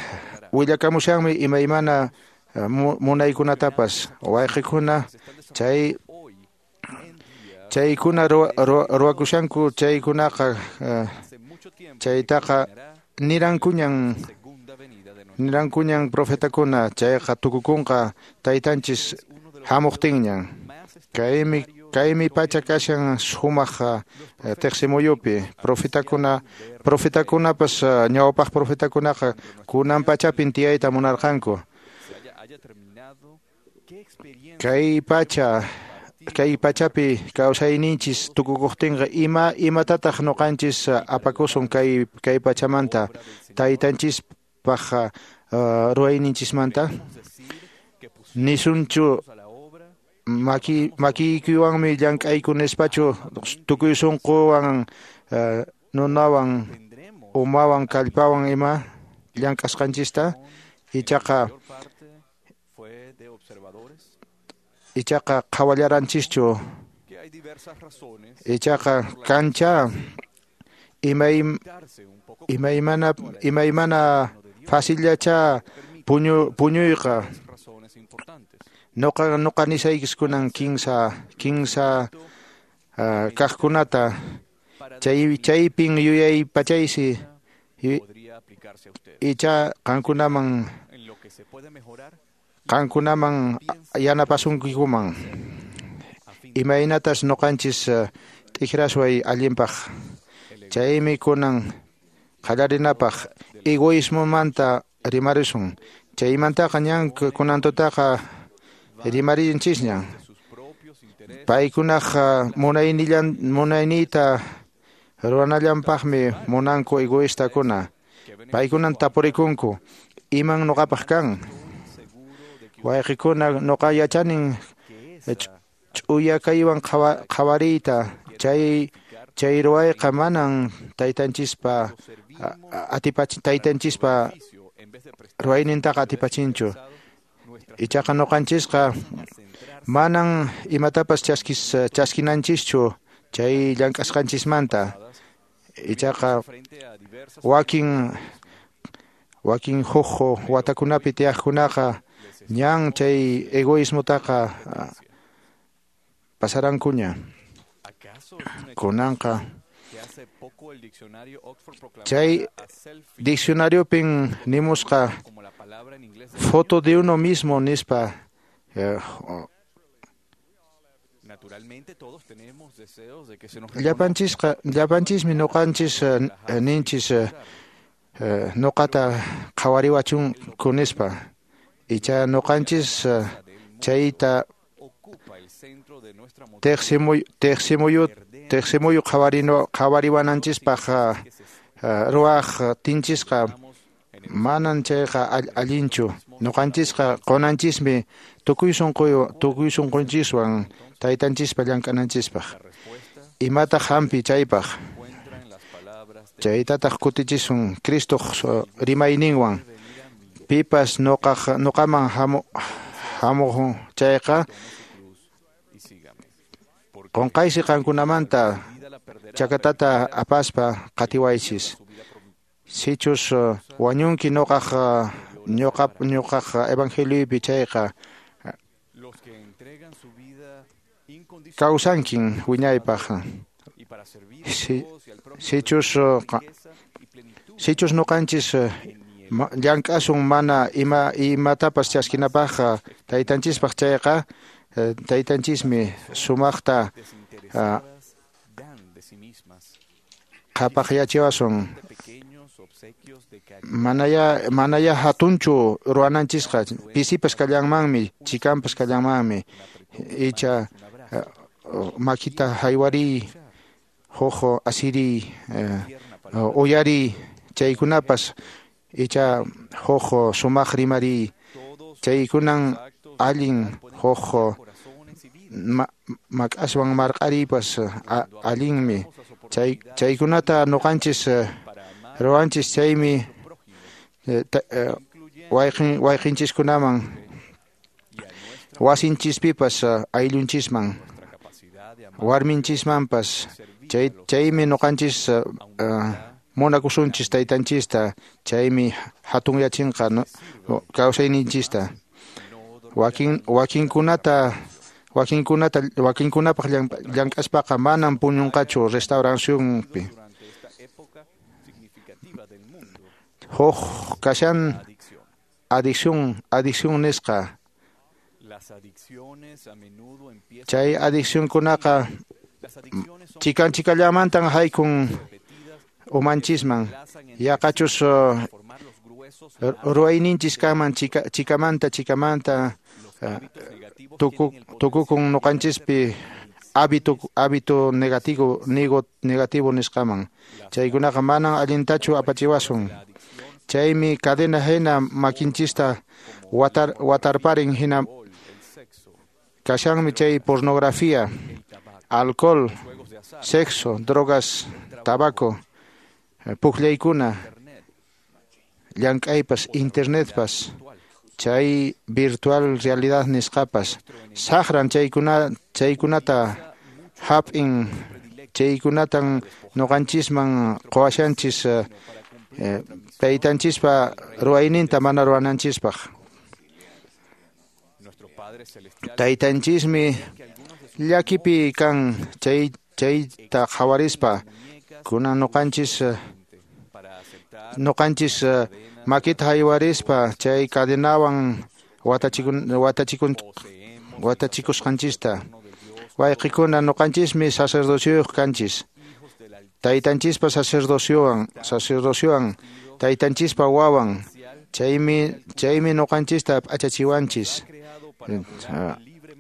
Speaker 8: willakamushanmi imaymana munaykunatapas wayqikuna chay chaykuna ruwakushanku chaykunaqa chaytaqa nirankuñan nirankuñan profetakuna chayqa tukukunqa taytanchis hamuqtinñan. Kaymi kaymi pacha kashan sumaq teqsimuyupi profetakuna profetakunapas ñawpaq profetakunaqa kunan pachapin tiyayta munarqanku. Kay pacha kay pachapi kawsayninchis tukukuqtinqa ima imatataq ñuqanchis apakusun kay kay pachamanta taytanchispaq ruwayninchismanta nisunchu maki makiykiwanmi llank'ayku nispachu tukuy sunquwan nunawan umawan kallpawan ima llank'asqanchista ichaqa ichaqa qhawallaranchischu ichaqa kancha imay imaymana imaymana facillacha puñu puñuyqa. Noqa noqa nisaykis kunan kinsa kinsa uh, kaqkunata chay chaypin yuyay pachaysi icha qankunaman qankunaman yanapasunkikuman imaynatas noqanchis t'ikrasway allinpaq. Chaymi kunan qallarinapaq egoísmomanta rimarisun. Chaymantaqa ñan kunantutaqa rimarinchisña. Paykunaq munaynillan munayniyta ruwanallanpaqmi munanku egoístakuna. Paykunan tapurikunku iman noqapaq kan. Wayqikuna noqa yachanin ch'uya kaywan qhawariyta chay chay ruwayqa manan taytanchispa atipachin taytanchispa ruwaynintaqa atipachinchu. Ichaqa ñuqanchisqa manan imatapas chaskis chaskinanchischu chay llank'asqanchismanta. Ichaqa wakin wakin huk watakunapi tiyaqkunaqa ñan chay egoísmotaqa pasarankuña. Kunanqa chay diccionariopin nimusqa foto de uno mismo nispa. Llapanchisqa llapanchismi ñuqanchis ninchis ñuqata qhawariwachunku nispa. Icha ñuqanchis chayta teqsimuy teqsimuyu teqsimuyu qhawarino qhawariwananchispaq ruwaq tinchisqa manan chayqa allinchu. Ñuqanchisqa qunanchismi tukuy sunquyu tukuy sunqunchiswan taytanchispa llank'ananchispaq. Imataq hampi chaypaq chaytataq kutichisun Cristoq rimayninwan. Pipas ñuqaq ñuqaman hamu hamuq chayqa qunqaysi qankunamanta chakatata apaspa qatiwaychis. Sichus wañunki ñuqaq ñuqa ñuqaq evangeliopi chayqa kawsankin wiñaypaq. Si, sichus sichus ñuqanchis llank'asun mana ima imatapas chaskinapaqqa taytanchispaq chayqa taytanchismi sumaqta qhapaqyachiwasun. Manaya manaya hatunchu ruwananchisqa, pisipas kallanmanmi, chikanpas kallanmanmi, icha makita haywariy, huk asiriy, uyariy, chaykunapas icha huk sumaq rimariy, chaykunan allin huk mak'aswan marq'ariypas allinmi. Chay chaykunata nuqanchis ruwanchis, chaymi wayqin wayqinchiskunaman wasinchispipas ayllunchisman warminchismanpas chay chaymi nuqanchis munakusunchis taytanchista, chaymi hatunyachinqa kawsayninchista. Wakin wakinkunata wakinkunata wakinkunapaq llank'aspaqa manan puñunqachu restauracionpi. Huk kashan adicción adicción nisqa. Chay adiccionkunaqa chikan chikallamantan haykun umanchisman, yaqachus ruwayninchis kanman chika, chikamanta chikamanta tuku, tukukun nuqanchispi hábito hábito negativo nigo, negativo nisqaman. Chaykunaqa manan allintachu apachiwasun. Chaymi cadena hina makinchista watar, watarparin hina kashanmi chay pornografía, alcohol, sexo, drogas, tabaco, pukllaykuna, llank'aypas, internetpas, chay virtual realidad nisqapas. Saqran chaykuna chaykunata hap'in, chaykunatan nuqanchisman quwashanchis eh, taytanchispa ruwayninta mana ruwananchispaq. Taytanchismi llakipi kan chay chayta qhawarispa kunan nuqanchis nuqanchis makita haywarispa chay cadenawan watachikun watachikun watachikusqanchista. Wayqikuna nuqanchismi sacerdocioyuq kanchis. Taytanchispa sacerdociowan sacerdociowan taytanchispa wawan, chaymi chaymi nuqanchista p'achachiwanchis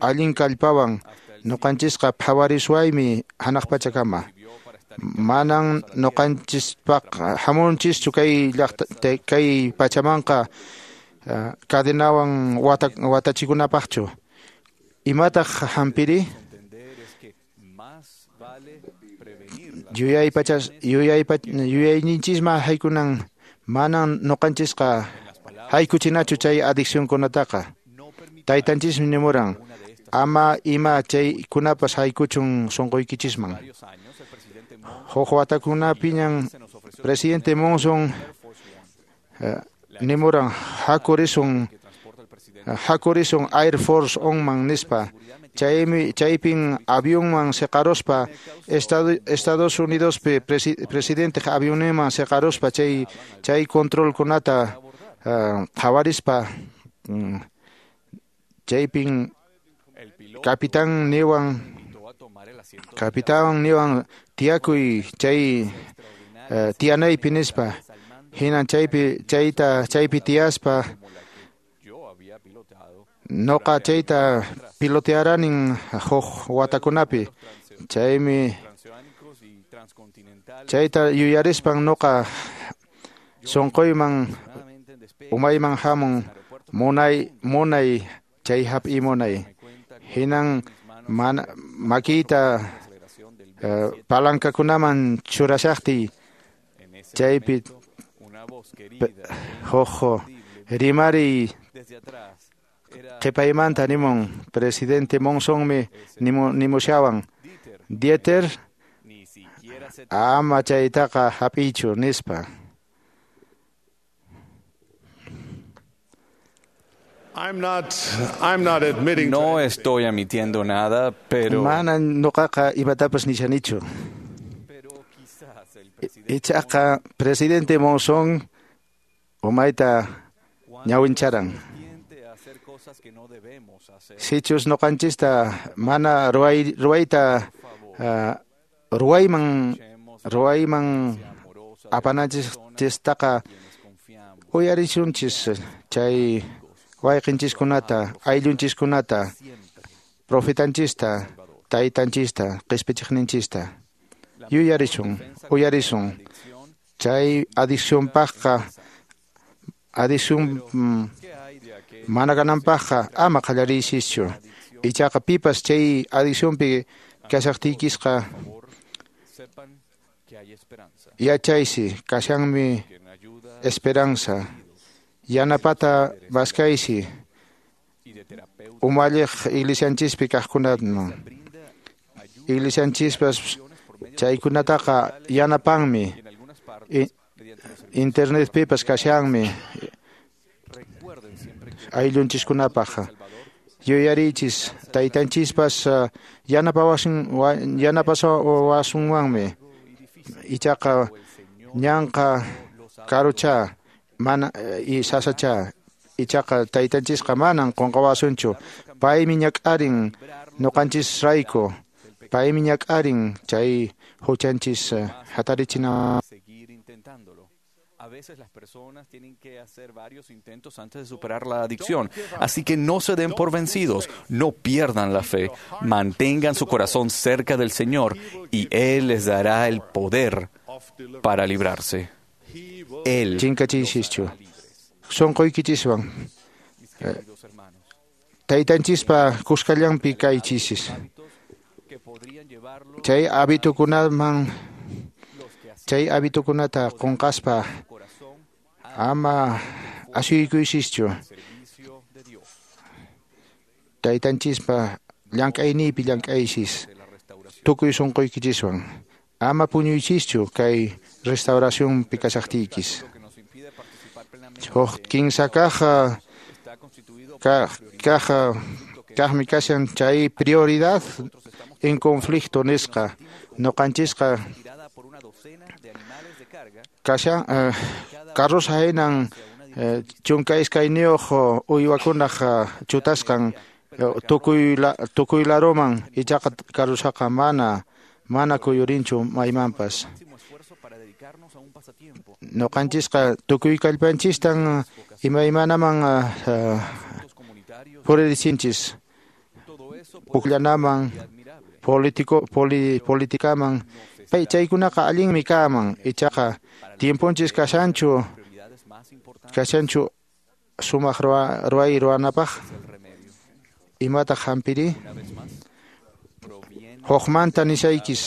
Speaker 8: allin kallpawan nuqanchisqa phawariswaymi hanaq pachakama. Manan nuqanchispaq hamunchischu kay llaqta kay pachamanqa cadenawan wata watachikunapaqchu. Imataq hampiri? Yuyay pachas yuyay yuyayninchisman haykunan manan nuqanchisqa haykuchinachu chay adiccionkunataqa. Taytanchismi nimuran ama ima chaykunapas haykuchun sunquykichisman. Huk watakunapiñan presidente Monson nimuran hakurisun hakurisun Air Force Oneman nispa. Chaymi chaypin avionman seqaruspa Estado, Estados Unidospi presi, presidente avionman seqaruspa chay chay controlkunata uh, qhawarispa um, chaypin capitán niwan capitán niwan tiyakuy chay uh, tiyanaypi nispa. Hinan chaypi chayta chaypi tiyaspa noqa chayta pilotearanin huk watakunapi. Chaymi chayta yuyarispan noqa sunquyman umayman hamun munay munay chay hap'iy munay. Hinan mana makiyta uh, palankakunaman churashaqtiy chaypi huk rimariy qhipaymanta nimun presidente Monsonmi nimushawan Dieter ama chaytaqa hap'iychu nispa.
Speaker 11: I'm not, I'm not admitting
Speaker 4: No estoy admitiendo nada, pero
Speaker 8: mana nuqaqa imatapas nishanichu. Ichaqa presidente Monson Umayta ñawincharan. Sichus noqanchista mana ruway ruwayta uh, ruwayman ruwayman apananchistaqa uyarisunchis chay wayqinchiskunata ayllunchiskunata profetanchista taytanchista qispichiqninchista yuyarisun uyarisun chay adiccionpaqqa adicción mm, mana kananpaqqa ama qallariychischu ichaqa pipas chay adiccionpi kashaqtiykisqa yachaysi kashanmi esperanza yanapata maskaysi umalliq iglesianchispi kaqkunatman iglesianchispas chaykunataqa yanapanmi internetpipas kashanmi ayllunchiskunapaq yuyarichis taytanchispas yanapawasun yanapawasunwanmi ichaqa ñanqa karucha mana y sasacha ichaqa taytanchisqa manan qunqawasunchu paymi ñak'arin ñuqanchisrayku paymi ñak'arin chay huchanchis hatarichina.
Speaker 4: A veces las personas tienen que hacer varios intentos antes de superar la adicción. Así que no se den por vencidos, no pierdan la fe, mantengan su corazón cerca del Señor y Él les dará el poder para librarse. Él.
Speaker 8: Chinkachischu. Sonqoykichiswan. Taytanchispa kuskallanpi kaychisis. Chay habitukunaman chay habitukunata qunqaspa ama asuykuysischu. Taytanchispa llank'ayniypi llank'aysis tukuy sunquykichiswan. Ama puñuychischu kay restauracionpi kashaqtiykis. Huk kinsa kaq kaq kaqmi kashan chay prioridad en conflicto nisqa ñuqanchisqa kashan carroza hinan chunka iskayniyuq uywakunaq chutasqan tukuy tukuy laruman ichaqa carrozaqa mana mana kuyurinchu maymanpas. Ñuqanchisqa tukuy kallpanchistan imaymanaman puririchinchis pukllanaman politico poli, politikaman pay chaykunaqa allinmi kaman ichaqa tiemponchis kashanchu kashanchu sumaq ruway ruwanapaq imataq hampiri hukmanta nishaykis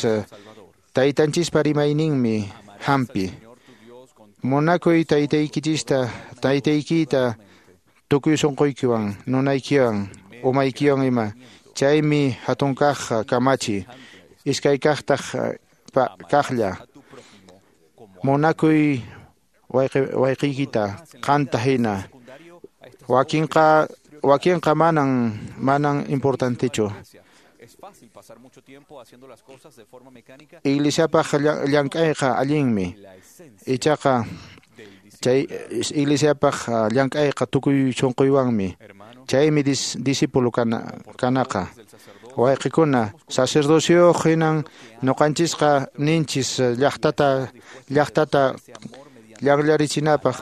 Speaker 8: taytanchispa rimayninmi hampi munakuy taytaykichista taytaykita tukuy sunquykiwan nunaykiwan umaykiwan ima chaymi hatun kaq kamachi iskay kaqtaq kaqlla munakuy wayqiykita qanta hina wakinqa wakinqa manan manan importantechu. Iglesiapaq llank'ayqa allinmi ichaqa chay iglesiapaq llank'ayqa tukuy sunquywanmi chaymi discípulo kanaqa wayqikuna sacerdocio hinan ñuqanchisqa ninchis llaqtata llaqtata llaqllarichinapaq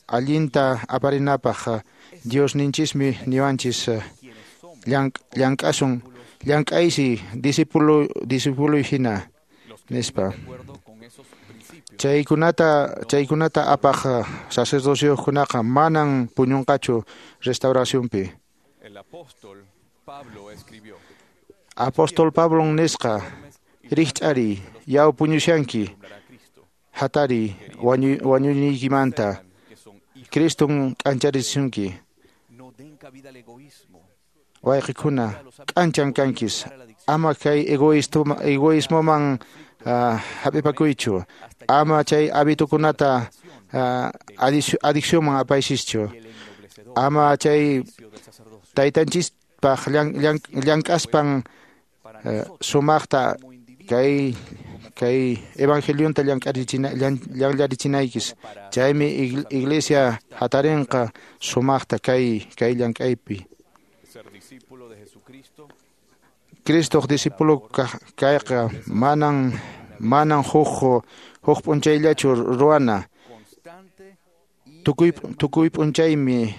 Speaker 8: allinta aparinapaq Dios ninchismi niwanchis llank'asun llank'aysi discípulo discípulo hina nispa chaykunata chaykunata apaq sacerdociokunaqa manan puñunqachu restauracionpi. Apóstol Pablo nisqa rikch'ari yaw puñushanki hatari wañuyniykimanta Criston k'ancharisunki wayqikuna k'anchan kankis ama kay egoísmoman hap'ipakuychu ama chay habitukunata adiccionman apaysischu ama chay taytanchispaq llank'aspan sumaqta kay kay evangelionta llank'arichina llanllarichinaykichis. Chaymi iglesia hatarinqa sumaqta kay kay llank'aypi. Cristoq discípulo kayqa manan manan huk huk p'unchayllachu ruwana. Tukuy tukuy p'unchaymi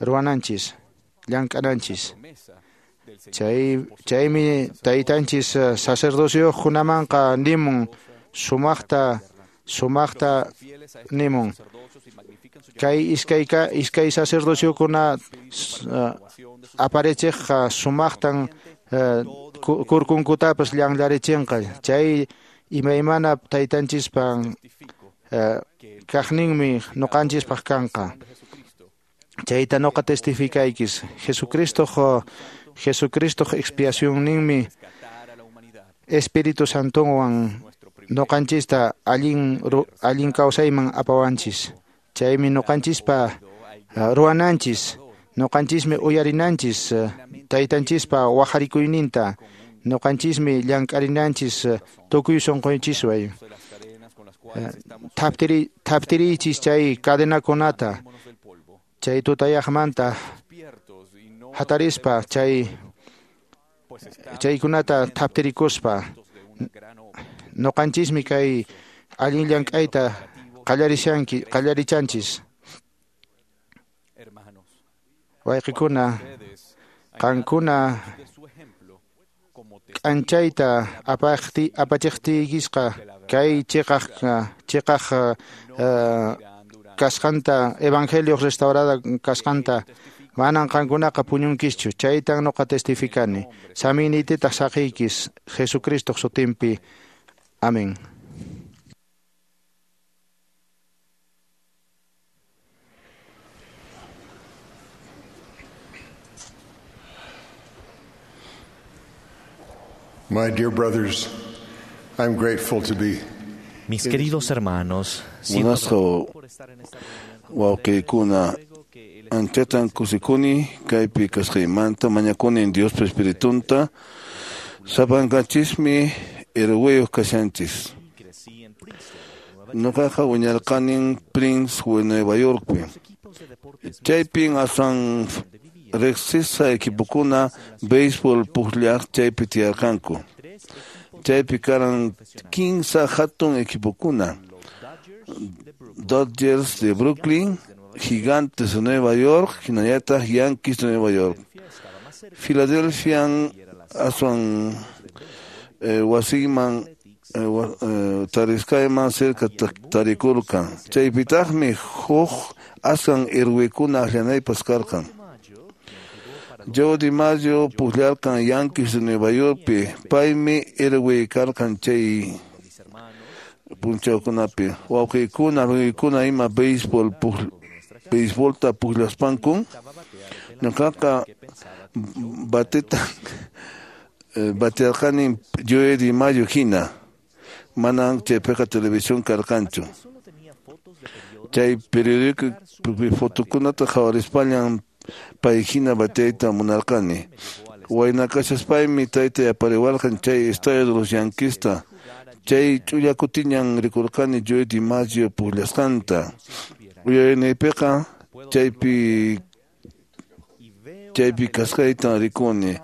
Speaker 8: ruwananchis, llank'ananchis. Chay chaymi taytanchis sacerdociokunamanqa nimun sumaqta sumaqta nimun. Kay iskay iskay sacerdociokuna aparechiqqa sumaqtan kurkunkutapas llanllarichinqa. Chay imaymana taytanchispan kaqninmi ñuqanchispaq kanqa. Chayta ñuqa testificaykis. Jesucristoq Jesucristoq expiacionninmi Espíritu Santonwan ñuqanchista allin allin kawsayman apawanchis. Chaymi ñuqanchispa ruwananchis, ñuqanchismi uyarinanchis taytanchispa wajarikuyninta, ñuqanchismi llank'arinanchis tukuy sunqunchiswan. Thaptiri thaptirichis chay cadenakunata, chay tutayaqmanta hatarispa chay chaykunata thaptirikuspa ñuqanchismi kay allin llank'ayta qallarishanki qallarichanchis. Wayqikuna, qankuna k'anchayta apaqti apachiqtiykisqa kay chiqaq chiqaq kasqanta evangelio restaurada kasqanta manan qankunaqa puñunkischu. Chaytan ñuqa testificani. Saminititaq saqiykis Jesucristoq sutinpi. Amén.
Speaker 11: My dear brothers, I'm grateful to be.
Speaker 12: Mis queridos hermanos,
Speaker 6: Munasqa wawqiykuna, anchatan kusikuni kaypi kasqaymanta mañakuni Diospa Espiritunta. Sapankanchismi herwiyuq kashanchis. Ñuqaqa wiñarqanin Prince Nueva Yorkpi. Chaypin aswan riqsisqa equipokuna béisbol pukllaq chaypi tiyarqanku. Chaypi karan kinsa hatun equipokuna: Dodgers de Brooklyn, Gigantes de Nueva York, hinallataq Yankees de Nueva York. Philadelphian aswan eh, wasiyman eh, eh, tarisqayman cerca tarikurqan. Chaypitaqmi huk aswan herwikuna akllanaypas karqan. Joe DiMaggio pukllarqan Yankees de Nueva Yorkpi. Paymi herwi karqan chay punchawkunapi. Wawqiykuna, runaykuna ima béisbol béisbolta pukllaspankun ñuqaqa bateta batearqani Joe DiMaggio hina. Manan chaypiqa televisión karqanchu. Chay periódico fotokunata qhawarispallan pay hina bateayta munarqani. Wayna kashaspaymi taytay apariwarqan chay estadio de los Yankeesta. Chay ch'ulla kutiñan rikurqani Joe DiMaggio pukllasqanta. Uyarinaypiqa chaypi chaypi kasqaytan rikuni.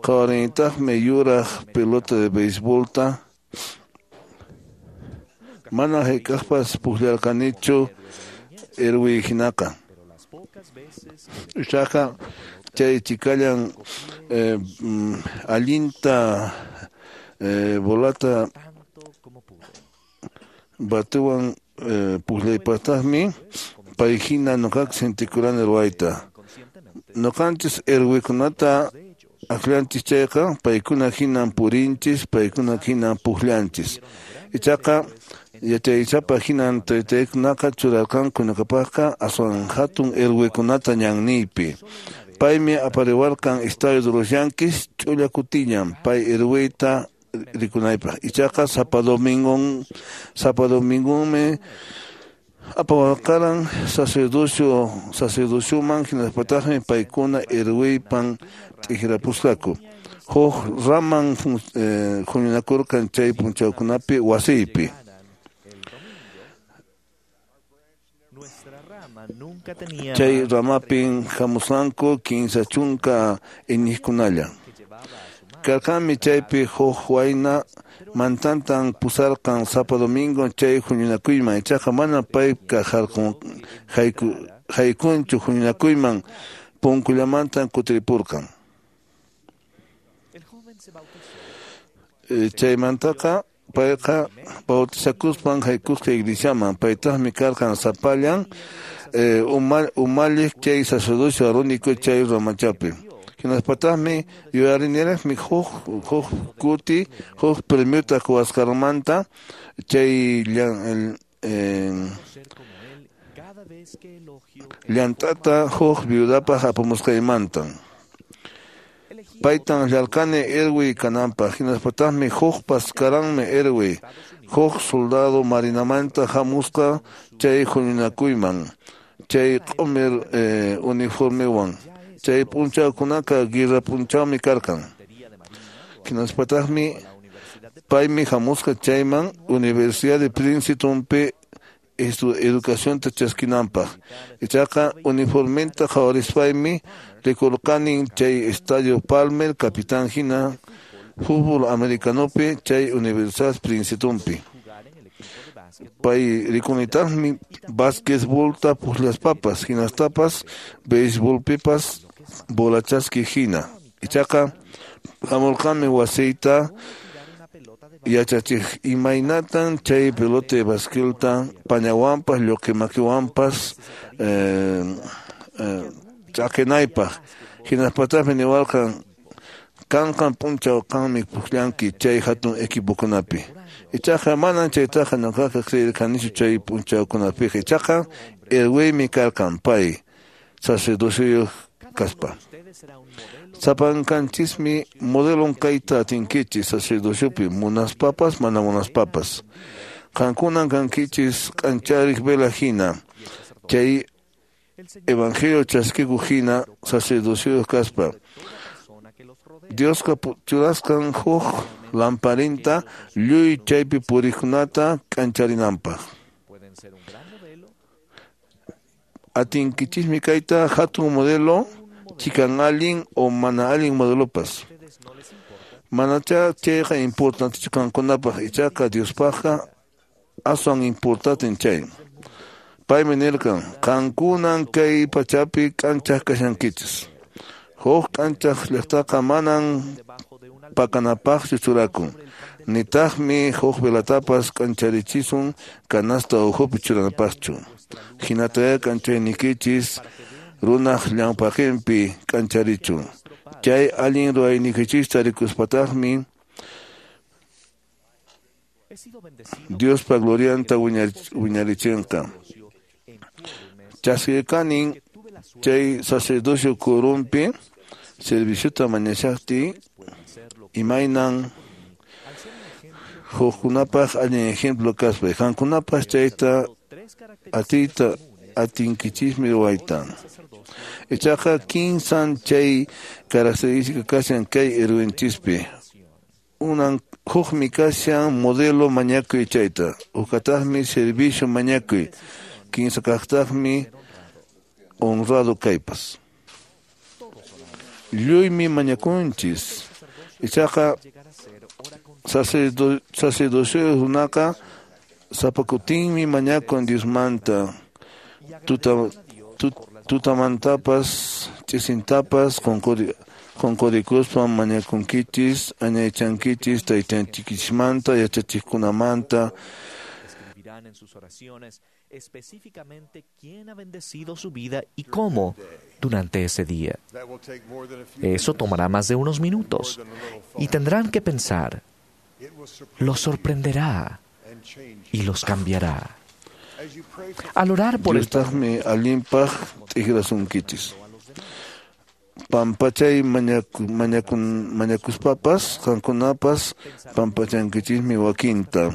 Speaker 6: Qhawarinitaqmi yuraq pelota de beisbolta. Mana hayk'aqpas pukllarqanichu herwi hinaqa. Ichaqa chay chikallan eh, allinta eh, bolata batuwan eh, pukllaypataqmi pay hina ñuqaqa sentikurani ruwayta. Ñuqanchis herwikunata akllanchis chayqa paykuna hinan purinchis, paykuna hinan pukllanchis. Ichaqa yachaysapa hinan taytaykunaqa churarqanku ñuqapaqqa aswan hatun herwikunata ñanniypi. Paymi apariwarqan Estadio de los Yankees ch'ulla kutillan pay herwiyta rikunaypaq. Ichaqa sapa domingon sapa domingonmi apawarqaran sacerdocio sacerdocioman hinaspataqmi paykuna herwiypan t'ikrapusqaku. Huk raman huñunakurqan chay p'unchawkunapi wasiypi. Chay ramapin hamusqanku kinsa chunka iñiqkunalla. Karqanmi chaypi huk wayna mantantan pusarqan sapa domingo chay huñunakuyman, ichaqa mana payqa haykunchu huñunakuyman, punkullamantan kutiripurqan. Chaymantaqa payqa bautizakuspan haykusqa iglesiaman, paytaqmi karqan sapallan umalliq chay sacerdocio arónico chay ramachapi. Hinaspataqmi yuyariniraqmi huk huk kuti huk premiota quwasqanmanta chay llant'ata huk viudapaq apamusqaymanta. Paytan llarqani irwi kananpaq, hinaspataqmi hukpas karanmi irwi, huk soldado marinamanta hamusqa chay huñunakuyman, chay q'umir uniformewan. Chay p'unchawkunaqa guerra p'unchawmi karqan. Hinaspataqmi paymi hamusqa chayman Universidad de Princetonpi educacionta chaskinanpaq. Ichaqa uniformenta qhawarispaymi rikurqanin chay Estadio Palmer capitán hina fútbol americanopi chay Universidad Princetonpi. Pay rikunitaqmi basquetbolta puqllaspapas hinastapas beisbolpipas bolachaski hina. Ichaqa hamurqanmi wasiyta yachachiq imaynatan chay pelota de basquetbolta pañawanpas lluqi makiwanpas ch'aqinaypaq. Hinaspataqmi niwarqan kanqan p'unchaw qanmi puqllanki chay hatun equipokunapi. Ichaqa manan chaytaqa ñuqaqa creerqanichu chay p'unchawkunapiqa. Ichaqa irwiymi karqan pay sacerdoceyuq kaspa. Sapankanchismi modelon kayta atinkichis sacerdociopi munaspapas mana munaspapas. Qankunan kankichis k'anchariq vela hina, chay evangelio chaskikuq hina sacerdoceyuq kaspa. Diosqa churasqan huk lamparinta lluy chaypi puriqkunata k'ancharinanpaq. Atinkichismi kayta hatun modelo chikan allin o mana allin modelopas. Manacha chayqa importantechu qankunapaq, ichaqa Diospaqqa aswan importanten chay. Paymi nirqan qankunan kay pachapi k'anchaq kashankichis. Huk k'anchaq llaqtaqa manan pakanapaqchu churakun, nitaqmi huk velatapas k'ancharichisun canasta ukhupi churanapaqchu. Hinatayá k'anchaynikichis runaq llampaqinpi k'ancharichun. Chay allin ruwaynikichista rikuspataqmi Diospa glorianta wiñarichinqa. Chaskirqanin chay sacerdocio quorumpi serviciota mañashaqtiy imaynan hukkunapaq allin ejemplo kaspa. Qankunapas chayta atiyta atinkichismi ruwayta. Ichaqa kinsan chay característica kashan kay irwinchispi. Unan hukmi kashan modelo mañakuy chayta, hukataqmi servicio mañakuy, kinsa kaqtaqmi honrado kaypas. Lluymi mañakunchis. Ichaqa sacerdocio runaqa sapakutinmi mañakun Diosmanta, tuta tutamantapas ch'isintapas qunqurikuspa mañakunkichis, añaychankichis taytanchikchismanta, yachachiqkunamanta.
Speaker 12: En sus oraciones específicamente quién ha bendecido su vida y cómo durante ese día. Eso tomará más de unos minutos y tendrán que pensar. Los sorprenderá y los cambiará. Al orar por el
Speaker 6: Diostaqmi allinpaq t'ikrasunkichis. Pampachay mañaku, mañakuspapas, qankunapas pampachankichismi wakinta.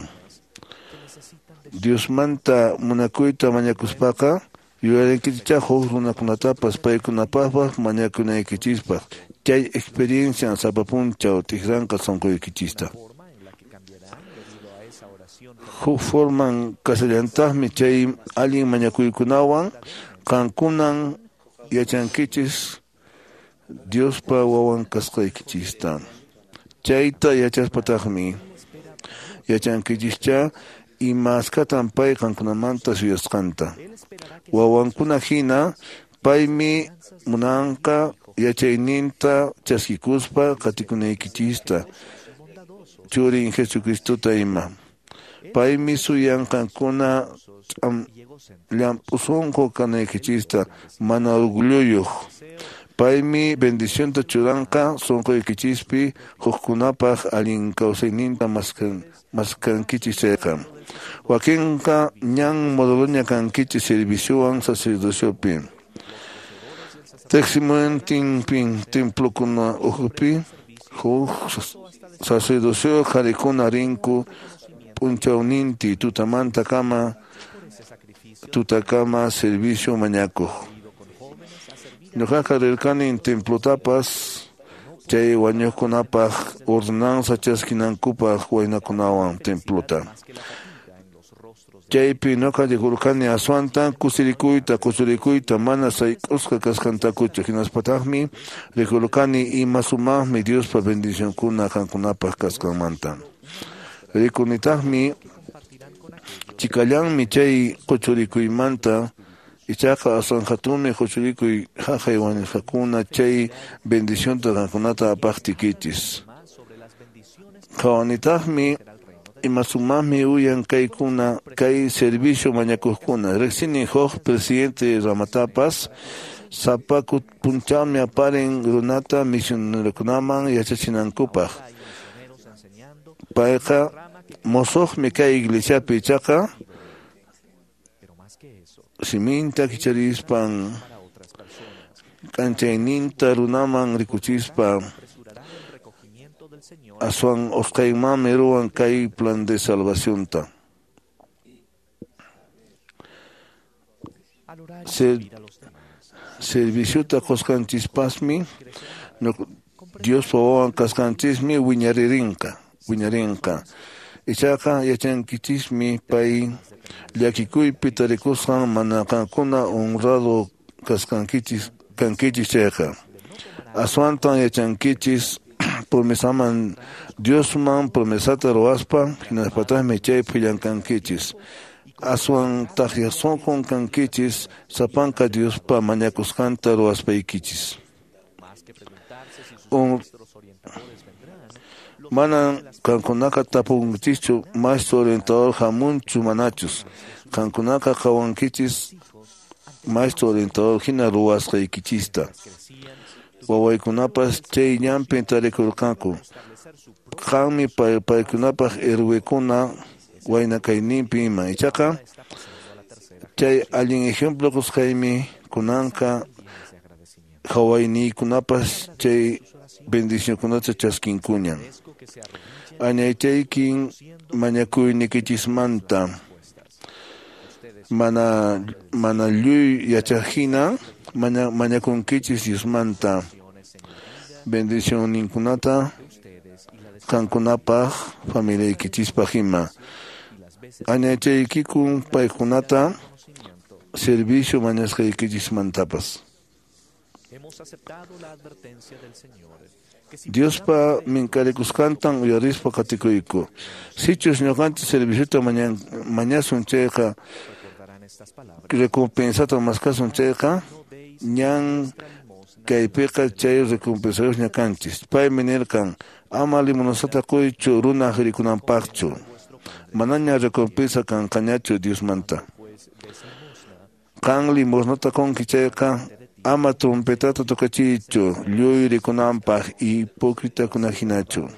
Speaker 6: Diosmanta munakuyta mañakuspaqa, Yuyarinkichischá huk runakunatapas paykunapaqpas mañakunaykichispaq. Chay experiencian sapa p'unchaw t'ikranqa sunquykichista. Huk forman kasallantaqmi chay allin mañakuykunawan qamkunan yachankichis Diospa wawan kasqaykichista. Chayta yachaspataqmi yachankichischá imaskatan pay qamkunamanta suyasqanta. Wawankuna hina paymi munanqa yachayninta chaskikuspa qatikunaykichista churin Jesucristota ima. Paymi suyan qamkuna llamp'u sunqu kanaykichista mana orgulluyuq. Paymi bendicionta churanqa sunquykichispi hukkunapaq allin kawsayninta maskan maskankichis chayqa. Wakinqa ñan modeloña kankichis serviciowan sacerdociopi. Teqsimuntinpin templokuna ukhupi huk sacerdocio qharikuna rinku p'unchawninti tutamantakama tutakama servicio mañakuq. Ñuqaqa rirqani templotapas chay wañuqkunapaq ordenanza chaskinankupaq waynakunawan templota. Chaypi ñuqa rikurqani aswanta kusirikuyta kusirikuyta mana sayk'usqa kasqantakuchu. Hinaspataqmi rikurqani ima sumaqmi Diospa bendicionkuna qamkunapaq kasqanmanta. Rikunitaqmi chikallanmi chay quchurikuymanta ichaqa aswan hatunmi quchurikuy haqay wañusqakuna chay bendicionta qamkunata apaqtiykichis. Qhawanitaqmi ima sumaqmi uyan kaykuna kay servicio mañakuqkuna. Riqsini huk presidente ramatapas sapa p'unchawmi aparin runata misionerokunaman yachachinankupaq. Payqa musuqmi kay iglesiapi ichaqa siminta kicharispan k'anchayninta runaman rikuchispa aswan usqhaymanmi ruwan kay plan de salvacionta. Ser, serviciota qusqanchispasmi Diospa wawan kasqanchismi wiñaririnqa wiñarinqa. Ichaqa yachankichismi pay llakikuypi tarikusqan mana qamkuna honrado kasqankichis kankichis chayqa. Aswantan yachankichis promesaman Diosman promesata ruwaspa hinaspataqmi chaypi llamk'ankichis. Aswan taqya sunqun kankichis sapanka Diospa mañakusqanta ruwaspaykichis. Manan qamkunaqa tapunkichischu maestro orientador hamunchu manachus. Qamkunaqa qhawankichis maestro orientador hina ruwasqaykichista. Wawaykunapas chay ñanpi tarikurqanku. Qanmi paykunapaq héroekuna wayna kayninpi ima. Ichaqa chay allin ejemplo qusqaymi kunanqa hawayniykunapas chay bendicionkunata chaskinkuñan. Añaychaykin mañakuynikichismanta mana mana lluy yachaqhina maña mañakunkichis Diosmanta bendicionninkunata qamkunapaq familiaykichispaq ima. Añaychaykikun paykunata servicio mañasqaykichismantapas. Diospa minkarikusqantan uyarispa qatikuyku. Sichus ñuqanchis serviciota mañasun chayqa recompensata maskasun chayqa ñan kaypiqa chay recompensayuqña kanchis. Paymi nirqan ama limonasata quychu runaq rikunanpaqchu. Manaña recompensa kanqañachu Diosmanta. Qan limosnata qunki chayqa ama trompetata tocachiychu lluy rikunanpaq hipócritakuna hinachu.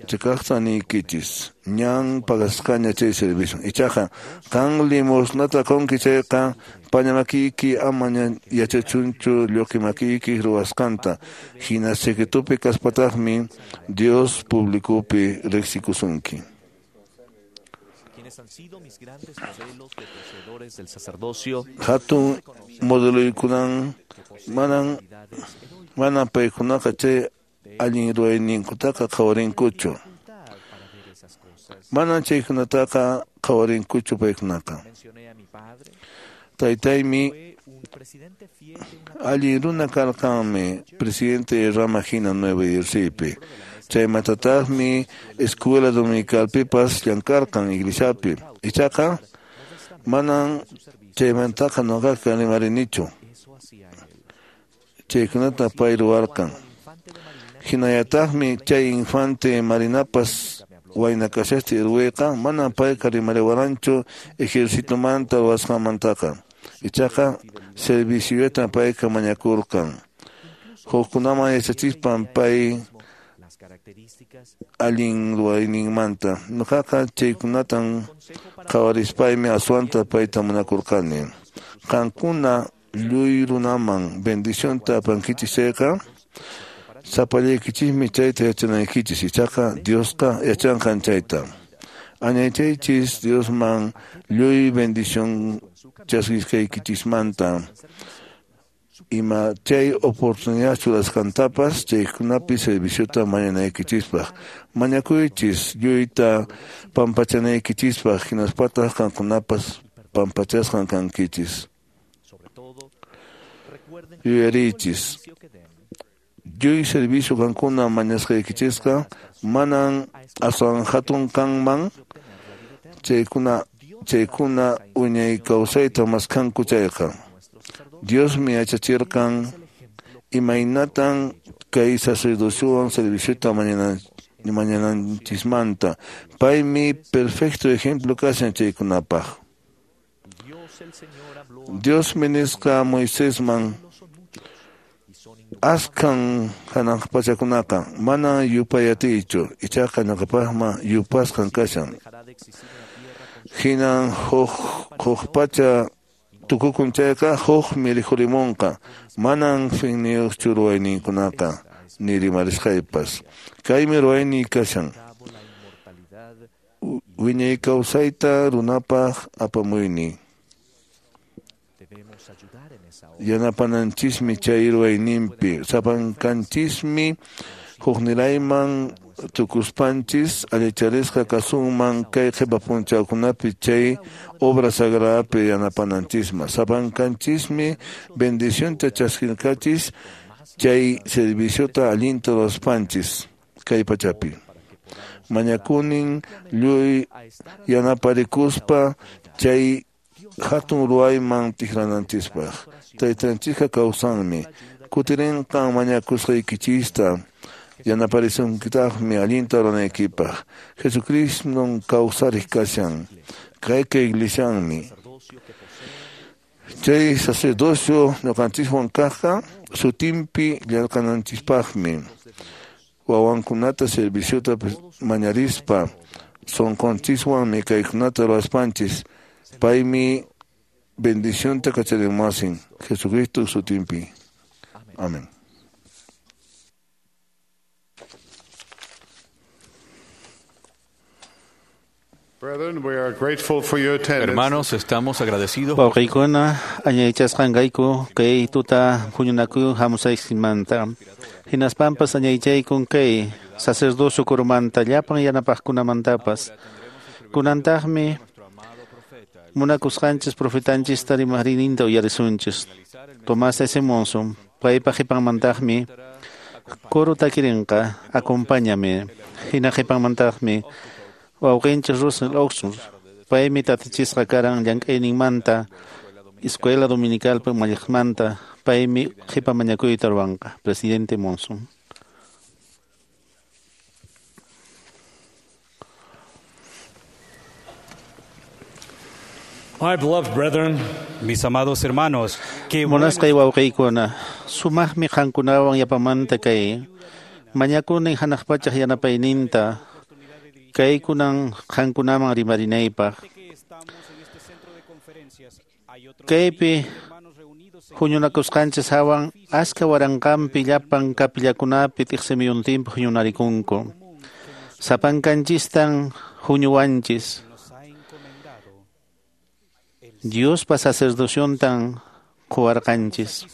Speaker 6: Chikaqta niykichis ñan pagasqaña chay servicio. Ichaqa qan limosnata qunki chayqa paña makiyki ama yachachunchu lluqi makiyki ruwasqanta. Hina secretopi kaspataqmi Dios publicopi riqsikusunki. Hatun modeloykunan manan manan paykunaqa chay allin ruwayninkutaqa qhawarinkuchu. Manan chaykunataqa qhawarinkuchu paykunaqa. Taytaymi allin runa karqanmi presidente rama hina Nueva Jerseypi. Chaymantataqmi escuela dominicalpipas llamkarqan iglesiapi. Ichaqa manan chaymantaqa ñuqaqa rimarinichu. Chaykunata pay ruwarqan. Hinallataqmi chay infante Marinapas wayna kashaqtin ruwayqa manan payqa rimariwaranchu ejercitomanta ruwasqanmantaqa. Ichaqa serviciotan payqa mañakurqan. Hukkunaman yachachispan pay allin ruwayninmanta. Ñuqaqa chaykunatan qhawarispaymi aswanta payta munakurqani. Qankuna lluy runaman bendicionta apankichis chayqa sapallaykichismi chayta yachanaykichis. Ichaqa Diosqa yachanqan chayta. Añaychaychis Diosman lluy bendición chaskisqaykichismanta. Ima chay oportunidad churasqantapas chaykunapi serviciota mañanaykichispaq. Mañakuychis lluyta pampachanaykichispaq hinaspataq qankunapas pampachasqan kankichis. Yuyariychis. Lluy servicio qankuna mañasqaykichisqa manan aswan hatun kanman chaykuna chaykuna wiñay kawsayta maskanku chayqa. Diosmi yachachirqan imaynatan kay sacerdociowan serviciota mañananchismanta. Paymi perfecto ejemplo kashan chaykunapaq. Diosmi nisqa Moisesman askan hanaq pachakunaqa manan yupay atiychu, ichaqa ñuqapaqma yupasqan kashan. Hinan huk huk pacha tukukun chayqa hukmi rikhurimunqa, manan finniyuqchu ruwayninkunaqa ni rimarisqaypas. Kaymi ruwayniy kashan. Wiñay kawsayta runapaq apamuyni. Yanapananchismi chay ruwayninpi. Sapankanchismi huknirayman tukuspanchis allicharisqa kasunman kay qhipa p'unchawkunapi chay obra sagradapi yanapananchisma. Sapankanchismi bendicionta chaskirqachis chay serviciota allinta ruwaspanchis kay pachapi. Mañakunin lluy yanaparikuspa chay hatun ruwayman tikrananchispaq. Taytanchikqa kawsanmi. Kutirinqan mañakusqaykichista yanaparisunkitaqmi allinta ruwanaykipaq. Jesucriston kawsariq kashan. Kayqa iglesianmi. Chay sacerdocio ñuqanchiswan kaqqa sutinpi llamk'ananchispaqmi. Wawankunata serviciota mañarispa sunqunchiswanmi kaykunata ruwaspanchis. Paymi bendicionta kacharimuwasin Jesucristo sutinpi. Amén.
Speaker 4: Hermanos, estamos agradecidos.
Speaker 3: Wawqiykuna añaychasqanqayku kay tuta huñunakuy hamusaysimanta. Hinaspanpas añaychaykun kay sacerdocio kurumanta llapan yanapaqkunamantapas. Kunantaqmi munakusqanchis profetanchista rimaqrininta uyarisunchis. Tomás S. Monson, paypa qhipanmantaqmi coro takirinqa, acompáñame. Hina qhipanmantaqmi wawqinchis Russell Oxford, paymi tatichisqa karan llank'ayninmanta, escuela dominicalpi umalliqmanta, paymi qhipa mañakuyta ruwanqa. Presidente Monson.
Speaker 5: My beloved brethren,
Speaker 7: mis amados hermanos, qué bueno
Speaker 3: Munasqay wawqiykuna, sumaqmi qankunawan yapamanta kay mañakuni hanaq pachaq yanapayninta kaykunan qankunaman rimarinaypaq. Kaypi huñunakusqanchis hawan aska waranqanpi llapan kapillakunapi t'iqsimiyuntinpi huñunarikunku. Sapankanchistan huñuwanchis. Diospa sacerdociontan quwarqanchis.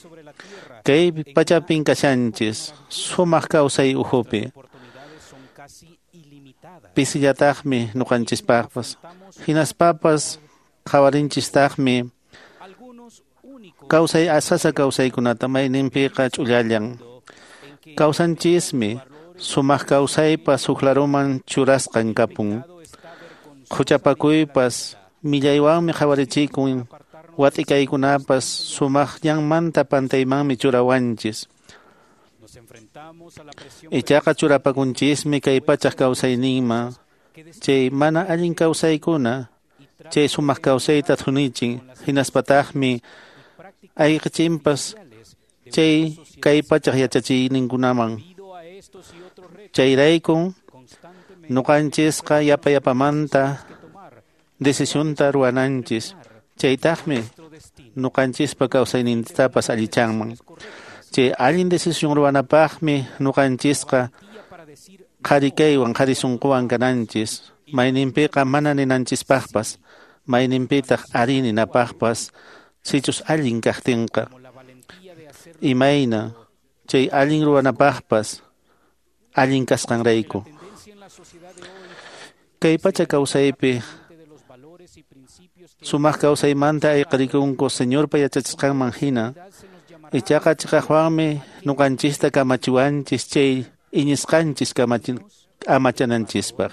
Speaker 3: Kay pachapin kashanchis sumaq kawsay ukhupi. Pisillataqmi ñuqanchispaqpas. Hinaspapas qhawarinchistaqmi kawsay asasa kawsaykunata mayninpiqa ch'ullallan. Kawsanchismi sumaq kawsaypas huk laruman churasqan kapun. Huchapakuypas millaywanmi qhawarichikun, wat'ikaykunapas sumaq ñanmanta pantaymanmi churawanchis. Ichaqa churapakunchismi kay pachaq kawsayninman, chay mana allin kawsaykuna, chay sumaq kawsayta thunichin, hinaspataqmi ayqichinpas chay kay pachaq yachachiyninkunaman. Chayraykun ñuqanchisqa yapa yapamanta decisionta ruwananchis, chaytaqmi ñuqanchispa kawsaynintapas allichanman. Chay allin decisión ruwanapaqmi ñuqanchisqa qhari kaywan qhari sunquwan kananchis, mayninpiqa mana ninanchispaqpas, mayninpitaq ari ninapaqpas, sichus allin kaqtinqa. Imayna chay allin ruwanapaqpas allin kasqanrayku. Kay pacha kawsaypi sumaq kawsaymanta ayqirikunku Señorpa yachachisqanman hina, ichaqa chiqaqwanmi ñuqanchista kamachiwanchis chay iñisqanchis amachananchispaq.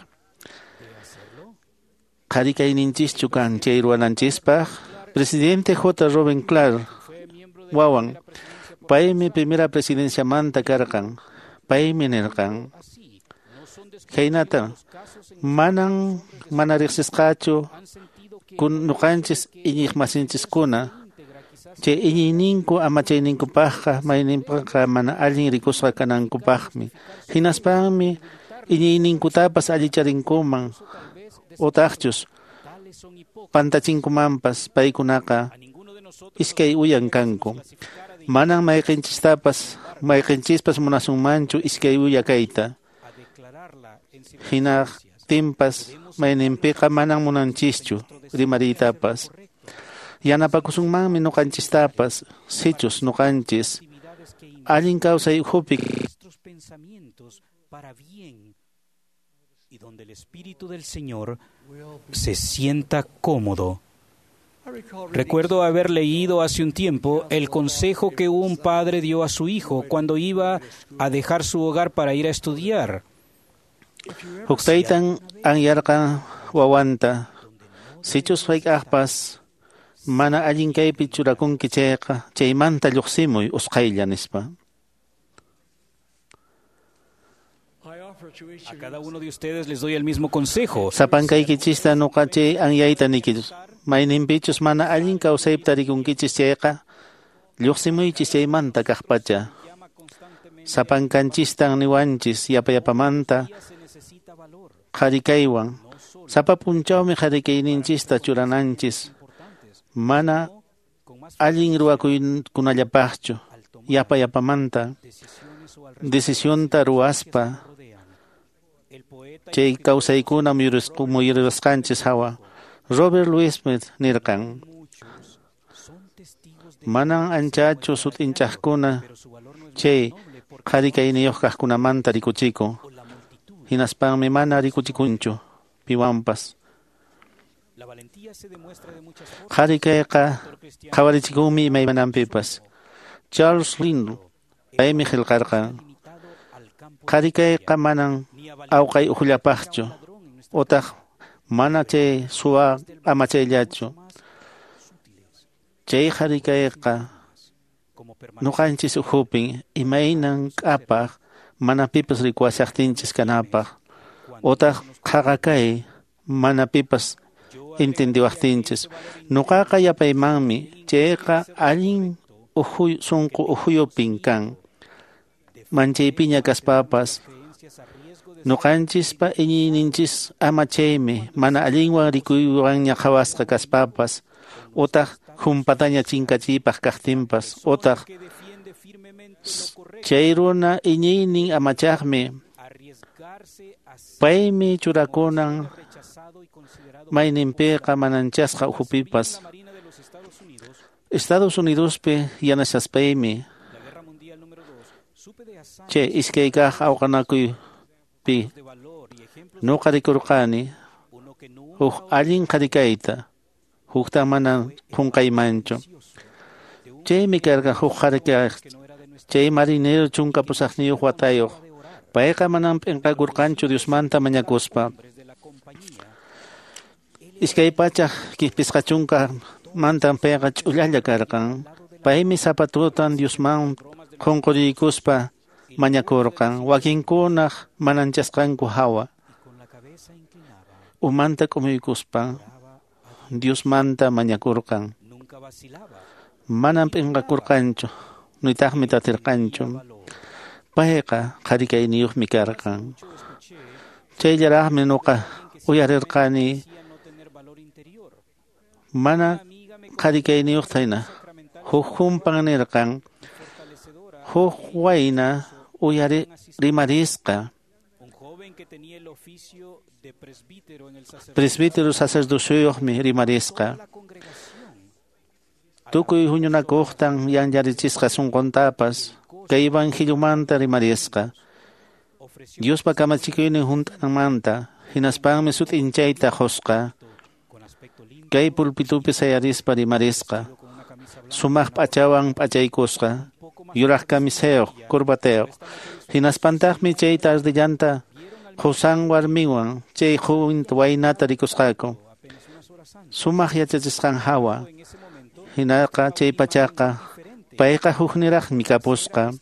Speaker 3: Qhari kayninchischu kan chay ruwananchispaq? Presidente J. Robin Clark wawan, paymi primera presidenciamanta karqan, paymi nirqan khaynata: manan mana riqsisqachu ñuqanchis iñiqmasinchiskuna chay iñiyninku amachayninkupaqqa mayninpiqa mana allin rikusqa kanankupaqmi, hinaspanmi iñiyninkutapas allicharinkuman utaqchus pantachinkumanpas. Paykunaqa iskay uyan kanku. Manan mayqinchistapas mayqinchispas munasunmanchu iskay uya kayta. Hinaqtinpas mayninpiqa manan munanchischu rimariytapas. Yanapakusunmanmi ñuqanchistapas sichus ñuqanchis allin kawsay ukhupi
Speaker 7: y donde el Espíritu del Señor se sienta cómodo. Recuerdo haber leído hace un tiempo el consejo que un padre dio a su hijo cuando iba a dejar su hogar para ir a estudiar.
Speaker 3: Huk taytan anyarqan wawanta, sichus hayk'aqpas mana allin kaypi churakunki chayqa, chaymanta lluqsimuy usqhaylla, nispa.
Speaker 7: A cada uno de ustedes les doy el mismo consejo.
Speaker 3: Sapankaykichista ñuqa chay anyayta nikichis. Mayninpichus mana allin kawsaypi tarikunkichis chayqa, lluqsimuychis chaymanta kaqpacha. Sapankanchistan niwanchis yapa yapamanta qhari kaywan. Sapa p'unchawmi qhari kayninchista churananchis, mana allin ruwakuykunallapaqchu, yapa yapamanta decisionta ruwaspa chay kawsaykuna muyurisqanchis hawa. Robert Louis Smith nirqan: manan anchachu sut'inchaqkuna chay qhari kayniyuq kaqkunamanta rikuchikun, hinaspanmi mana rikuchikunchu piwanpas. Qhari kayqa qhawarichikunmi imaymananpipas. Charles Lindley paymi qillqarqan: qhari kayqa manan awqay ukhullapaqchu, utaq mana chay suwa amachayllachu. Chay qhari kayqa ñuqanchis ukhupin imaynan k'apaq mana pipas rikuwashaqtinchis kanapaq, utaq qhaqa kay mana pipas entendiwaqtinchis. Ñuqaqa yapaymanmi chayqa allin ukhu sunqu ukhuyupin kan. Manchaypiña kaspapas ñuqanchispa iñiyninchis amachaymi mana allinwan rikuywanña qhawasqa kaspapas, utaq humpataña chinkachiypaq kaqtinpas, utaq chay runa iñiynin amachaqmi paymi churakunan mayninpiqa mananchasqa ukhupipas. Estados Unidospi yanashaspaymi chay iskay kaq awqanakuypi nuqa rikurqani huk allin qharikayta, hukta mana qunqaymanchu. Chaymi karqa huk qharikay chay marinero chunka pusaqniyuq watayuq. Payqa manam p'inqakurqanchu Diosmanta mañakuspa. Iskay pachak pisqa chunka mantan payqa ch'ullalla karqan. Paymi sapa tutan Diosman qunquriykuspa mañakurqan wakinkunaq mananchasqanku hawa. Umanta k'umuykuspa Diosmanta mañakurqan. Manam p'inqakurqanchu, nitaqmi tatirqanchu. Payqa qharikayniyuqmi karqan. Chayllaraqmi nuqa uyarirqani mana qharikayniyuqta hina. Huk kumpan nirqan, huk wayna uyari rimarisqa. Presbítero sacerdocioyuqmi rimarisqa. Tukuy huñunakuqtan yanllarichisqa sunquntapas kay evangeliomanta rimarisqa. Diospa kamachikuynin hunt'ananmanta hinaspanmi sut'inchayta qusqa. Kay pulpitupi sayarispa rimarisqa. Sumaq p'achawan p'achaykusqa, yuraq camisayuq, corbatayuq. Hinaspantaqmi chay tardellanta qusan warmiwan chay joven waynata rikusqaku. Sumaq yachachisqan hawa. Hinaqa chay pachaqa payqa hukniraqmi kapusqa.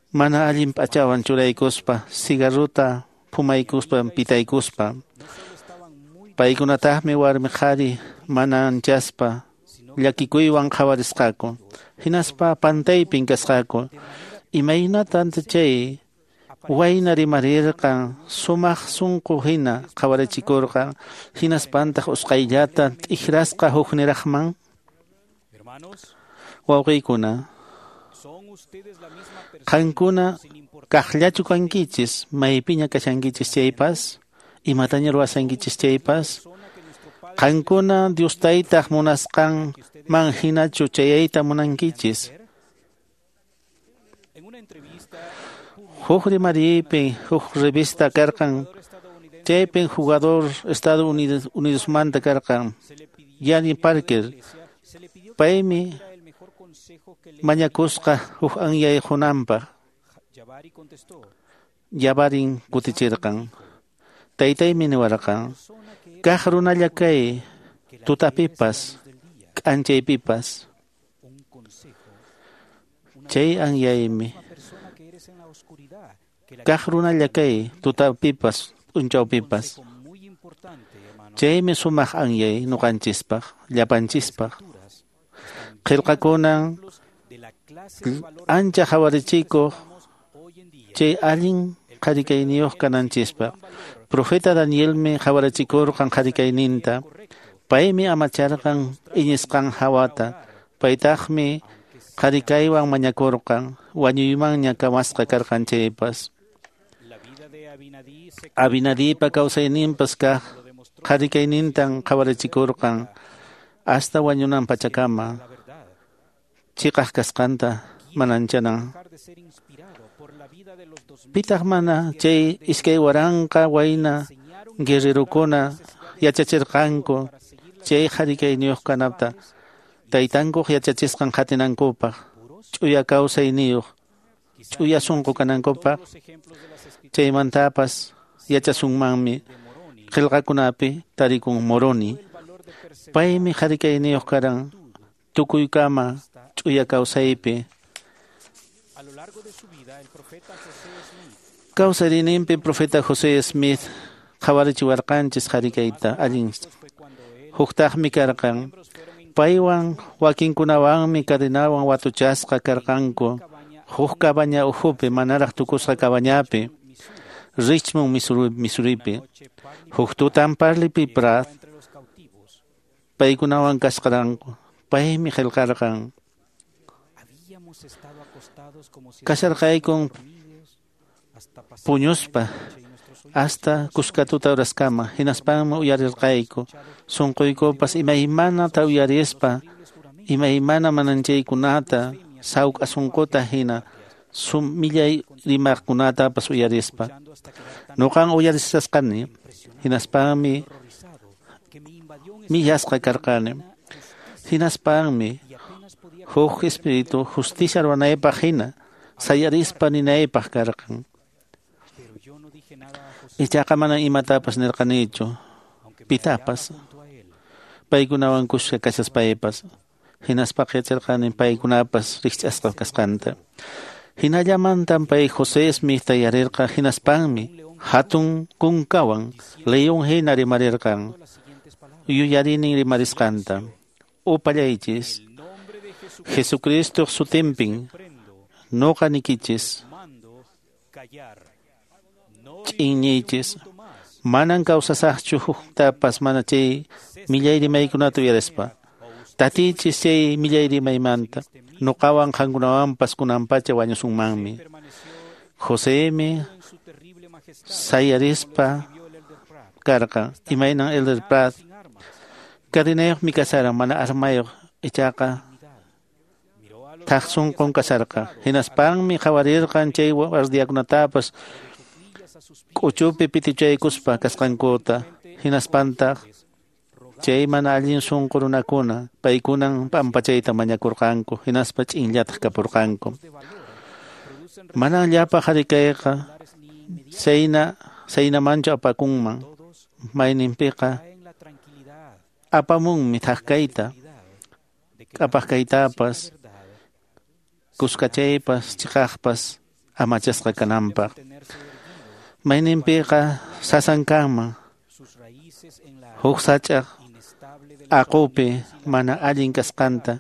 Speaker 3: Mana allin p'achawan churaykuspa, cigarruta pumaykuspa pitaykuspa. Paykunataqmi warmi qhari mana anchaspa llakikuywan qhawarisqaku. Hinaspa pantaypin kasqaku. Imaynatan chay wayna rimarirqan sumaq sunqu hina qhawarichikurqan, hinaspantaq usqhayllata t'ikrasqa hukniraqman? Wawqiykuna, qankuna kaqllachu kankichis, maypiña kashankichis chaypas, imataña ruwasankichis chaypas, qankuna Dios taytaq munasqanman hinachu chayayta munankichis. Huk rimariypi huk revista karqan, chaypin jugador Estados Unidos Unidosmanta karqan, Yanni Parker. Paymi mañakusqa huk anyay qunanpaq. Yabarin kutichirqan. Taytaymi niwarqan, kaq runalla kay tutapipas, k'anchaypipas. Chay anyaymi kaq runalla kay tutapipas, p'unchawpipas. Chaymi sumaq anyay nuqanchispaq, llapanchispaq. Qillqakunan ancha qhawarichikuq chay allin qharikayniyuq kananchispaq. Profeta Danielmi qhawarichikurqan qharikayninta. Paymi amacharqan iñisqan hawata. Paytaqmi qharikaywan mañakurqan, wañuymanña kamasqa karqan chaypas. Abinadipa kawsayninpas kaq qharikaynintan qhawarichikurqan hasta wañunan pachakama. Chiqaq kasqanta mananchanan. Pitaq mana chay iskay waranqa wayna guerrerokuna yachachirqanku chay qharikayniyuq kanapta taytankuq yachachisqan qatinankupaq, ch'uya kawsayniyuq, ch'uya sunqu kanankupaq. Chaymantapas yachasunmanmi qillqakunapi tarikun Moroni. Paymi qharikayniyuq karan tukuykama ch'uya kawsaypi. Kawsariyninpi profeta José Smith qhawarichiwarqanchis qharikayta allin. Huktaqmi karqan. Paywan wakinkunawanmi cadenawan watuchasqa karqanku huk cabaña ukhupi manaraq tukusqa cabañapi Richmond, Missouri, Missouripi. Huk tutan Parley P. Pratt paykunawan kasqaranku. Paymi qillqarqan. Kasharqaykun Puñuspa hasta kuska tuta uraskama hinaspanmi uyarirqayku sunquykupas imaymanata uyarispa imaymana mananchaykunata sawk'a sunquta hina sum millay rimaqkunatapas uyarispa. Nuqan uyarisqani hinaspanmi millasqa karqani. Hinaspanmi huk espíritu justicia ruwanaypaq hina sayarispa ninaypaq karqan. Ichaqa mana imatapas nirqanichu pitapas paykunawan kuska kashaspaypas. Hinaspaqa yacharqani paykunapas rikch'asqa kasqanta. Hinallamantam pay José Smithta yarirqa hinaspanmi hatun kunkawan león hina rimarirqan yuyarinin rimarisqanta. Upallaychis Jesucristo sutinpin noqa nikichis ch'inñiychis manan kawsasaqchu huktapas mana chay millay rimaykunata uyarispa. Tatichis chay millay rimaymanta nuqawan qankunawanpas kunanpacha wañusunmanmi. Josemi sayarispa karqa imaynan Elder Pratt cadenayuqmi kasharan mana armayuq ichaqa thak sunqun kasharqa. Hinaspanmi qhawarirqan chay guardiakunatapas k'uchupi pitichaykuspa kasqankuta. Hinaspantaq chay mana allin sunqu runakuna paykunan pampachayta mañakurqanku hinaspa ch'inllataq kapurqanku. Manan llapa qharikayqa sayna saynamanchu apakunman mayninpiqa apamunmi thak kayta k'apaq kaytapas kuskachaypas chiqaqpas amachasqa kananpaq. Mayninpiqa sasan kanman huk sach'aq aqupi mana allin kasqanta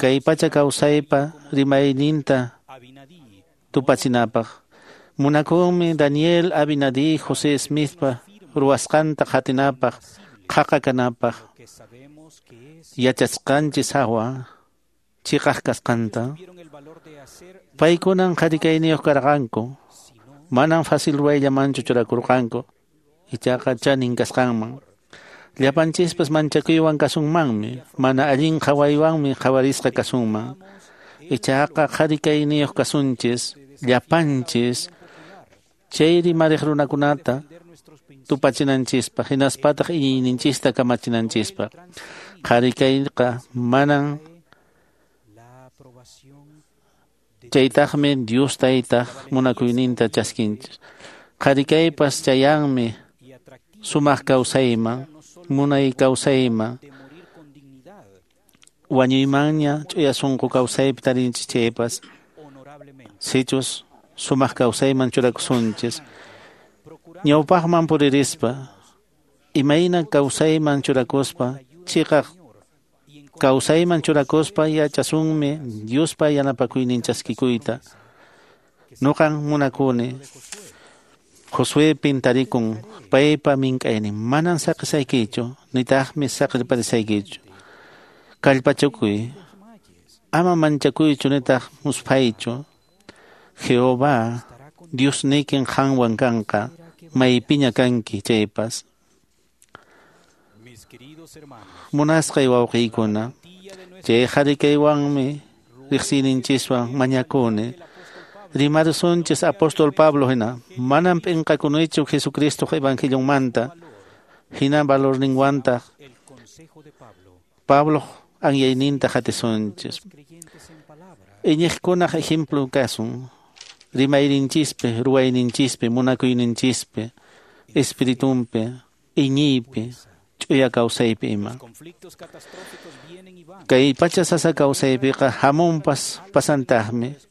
Speaker 3: kay pacha kawsaypa rimayninta tupachinapaq. Munakunmi Daniel Abinadí José Smithpa ruwasqanta qatinapaq qhaqa kanapaq yachasqanchis hawa chiqaq kasqanta. Paykunan qharikayniyuq karqanku manan fácil ruwayllamanchu churakurqanku ichaqa chanin kasqanman. Llapanchispas manchakuywan kasunmanmi mana allin qhawaywanmi qhawarisqa kasunman. Ichaqa qharikayniyuq kasunchis llapanchis chay rimariq runakunata tupachinanchispaq hinaspataq iñiyninchista kamachinanchispaq. Qharikayqa manan chaytaqmi Dios taytaq munakuyninta chaskinchis. Qharikaypas chayanmi sumaq kawsayman munay kawsayman wañuymanña ch'uya sunqu kawsaypi tarinchis chaypas sichus sumaq kawsayman churakusunchis. Ñawpaqman puririspa imayna kawsayman churakuspa chiqaq kawsayman churakuspa yachasunmi Diospa yanapakuynin chaskikuyta. Nuqan munakuni Josuepin tarikun paypa mink'aynin manan saqisaykichu nitaqmi saqirparisaykichu. Kallpachakuy ama manchakuychu nitaq musphaychu. Jehová Diosniykin qanwan kanqa maypiña kanki chaypas. Munasqay wawqiykuna chay qharikaywanmi riqsiyninchiswan mañakuni. Rimarusunchis apóstol Pablo hina manam p'inqakunichu Jesucristoq evangelionmanta hina valorninwantaq Pabloq anyayninta qatisunchis. Iñiqkunaq ejemplo kasun rimayninchispi ruwayninchispi munakuyninchispi espiritunpi iñiypi ch'uya kawsaypi ima. Kay pacha sasa kawsaypiqa hamunpas pasantaqmi.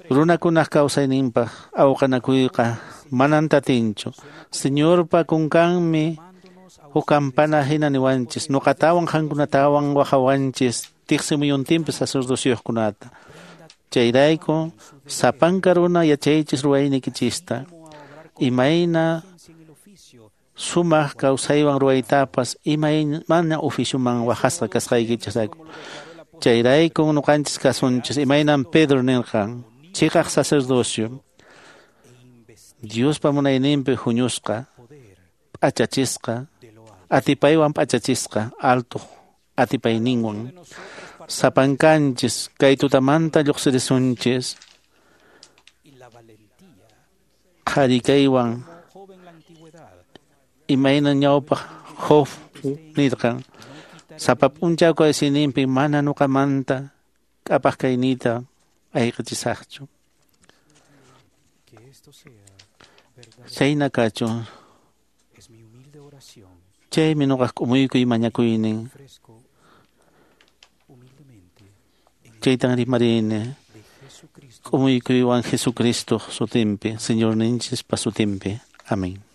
Speaker 3: Runakunaq kawsayninpaq awqanakuyqa manan tatinchu. Señorpa kunkanmi huk campana hina niwanchis nuqatawan qankunatawan waqawanchis tiqsimuyuntinpi sacerdocioskunata. Chayrayku sapanka runa yachaychis ruwaynikichista imayna sumaq kawsaywan ruwaytapas imaymana oficioman waqasqa kasqaykichisrayku. Chayrayku nuqanchis kasunchis imaynan Pedro nirqan chiqaq sacerdocio Diospa munayninpi huñusqa, p'achachisqa, atipaywan p'achachisqa, alto atipayninwan. Sapankanchis kay tutamanta lluqsirisunchis qhari kaywan imayna ñawpaq Job nirqan sapa p'unchaw kawsayninpi mana ñuqamanta k'apaq kayniyta ayqichisaqchu. Chayna kachun. Chaymi ñuqaq k'umuykuy mañakuynin. Chaytan rimarini k'umuykuywan Jesucristo sutinpi, Señorninchispa sutinpi. Amén.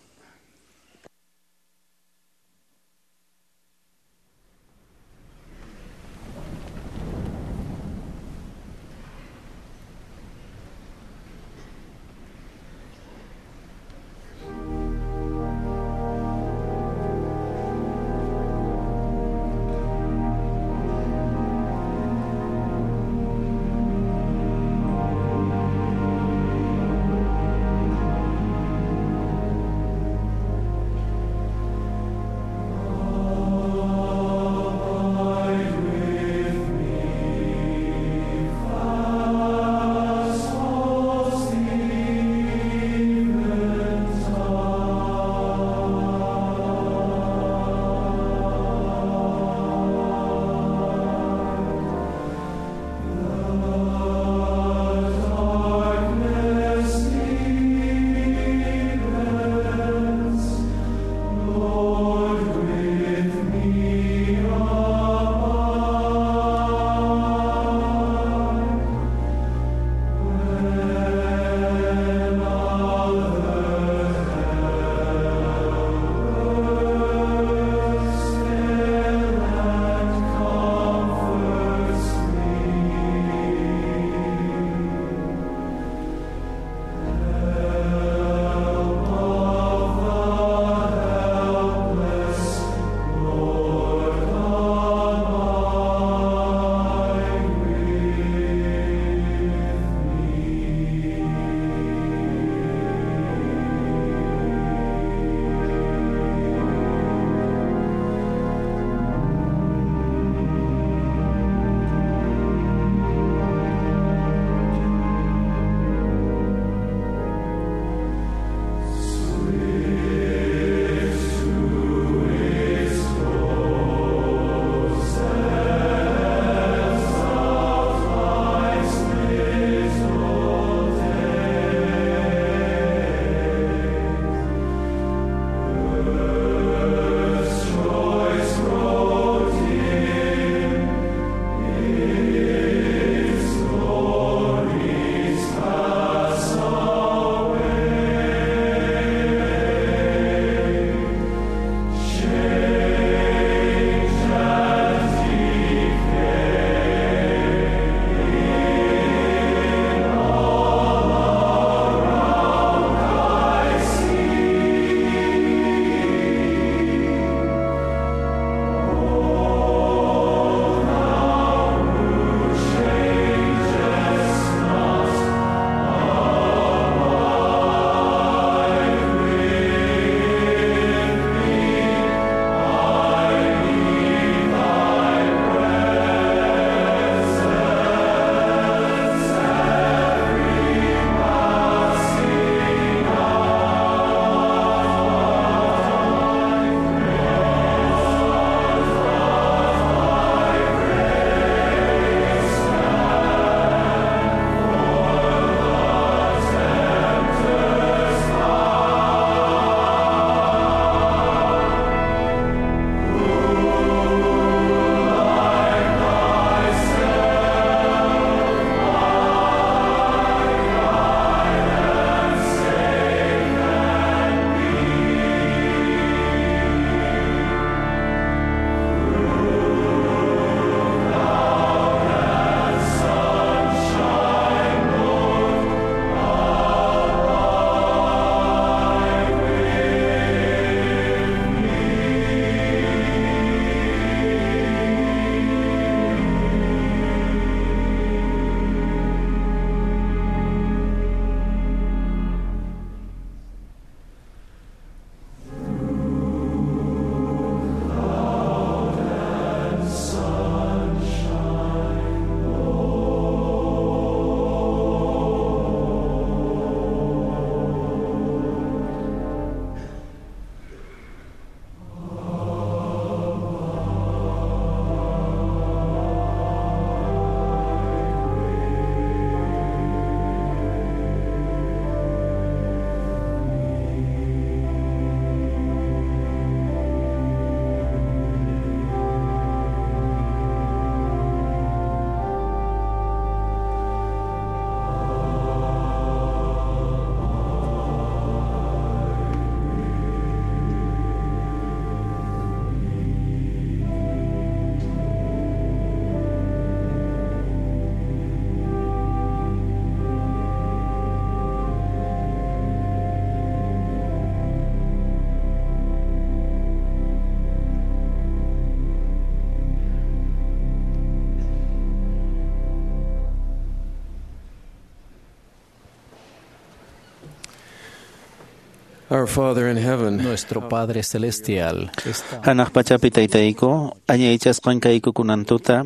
Speaker 1: Our Father in heaven,
Speaker 7: Nuestro Padre Celestial está
Speaker 3: Hanaq pachapi taytayku, añaychasqan kayku kunan tuta,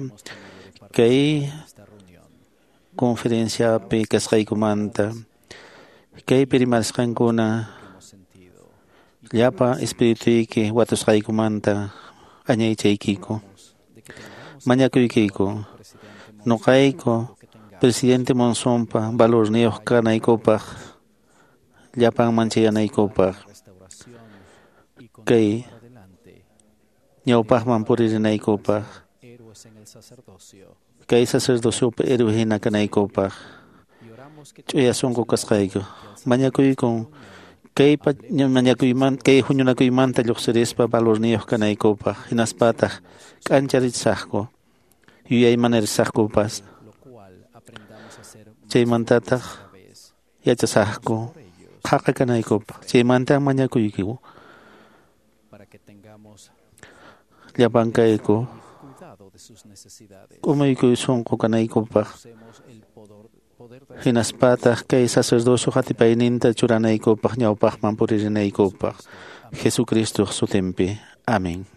Speaker 3: kay conferenciapi kasqaykumanta, kaypi rimasqankuna llapa espirituyki watusqaykumanta añaychaykiku. Mañakuykiku, nuqayku presidente Monsonpa valorniyuq kanaykupaq, llapanman chayanaykupaq, kay ñawpaqman puririnaykupaq, kay sacerdociopi héroe hina kanaykupaq, ch'uya sunqu kasqayku. Mañakuykun kay mañakuyman kay huñunakuymanta lluqsirispa valorniyuq kanaykupaq, hinaspataq k'ancharisaqku, yuyaymanasaqkupas. Chaymantataq yachasaqku qhaqa kanaykupaq. Chaymanta mañakuykiku llapankayku k'umuykuy sunqu kanaykupaq, hinaspataq kay sacerdocio hatipayninta churanaykupaq ñawpaqman puririnaykupaq. Jesucristoq sutinpi. Amén.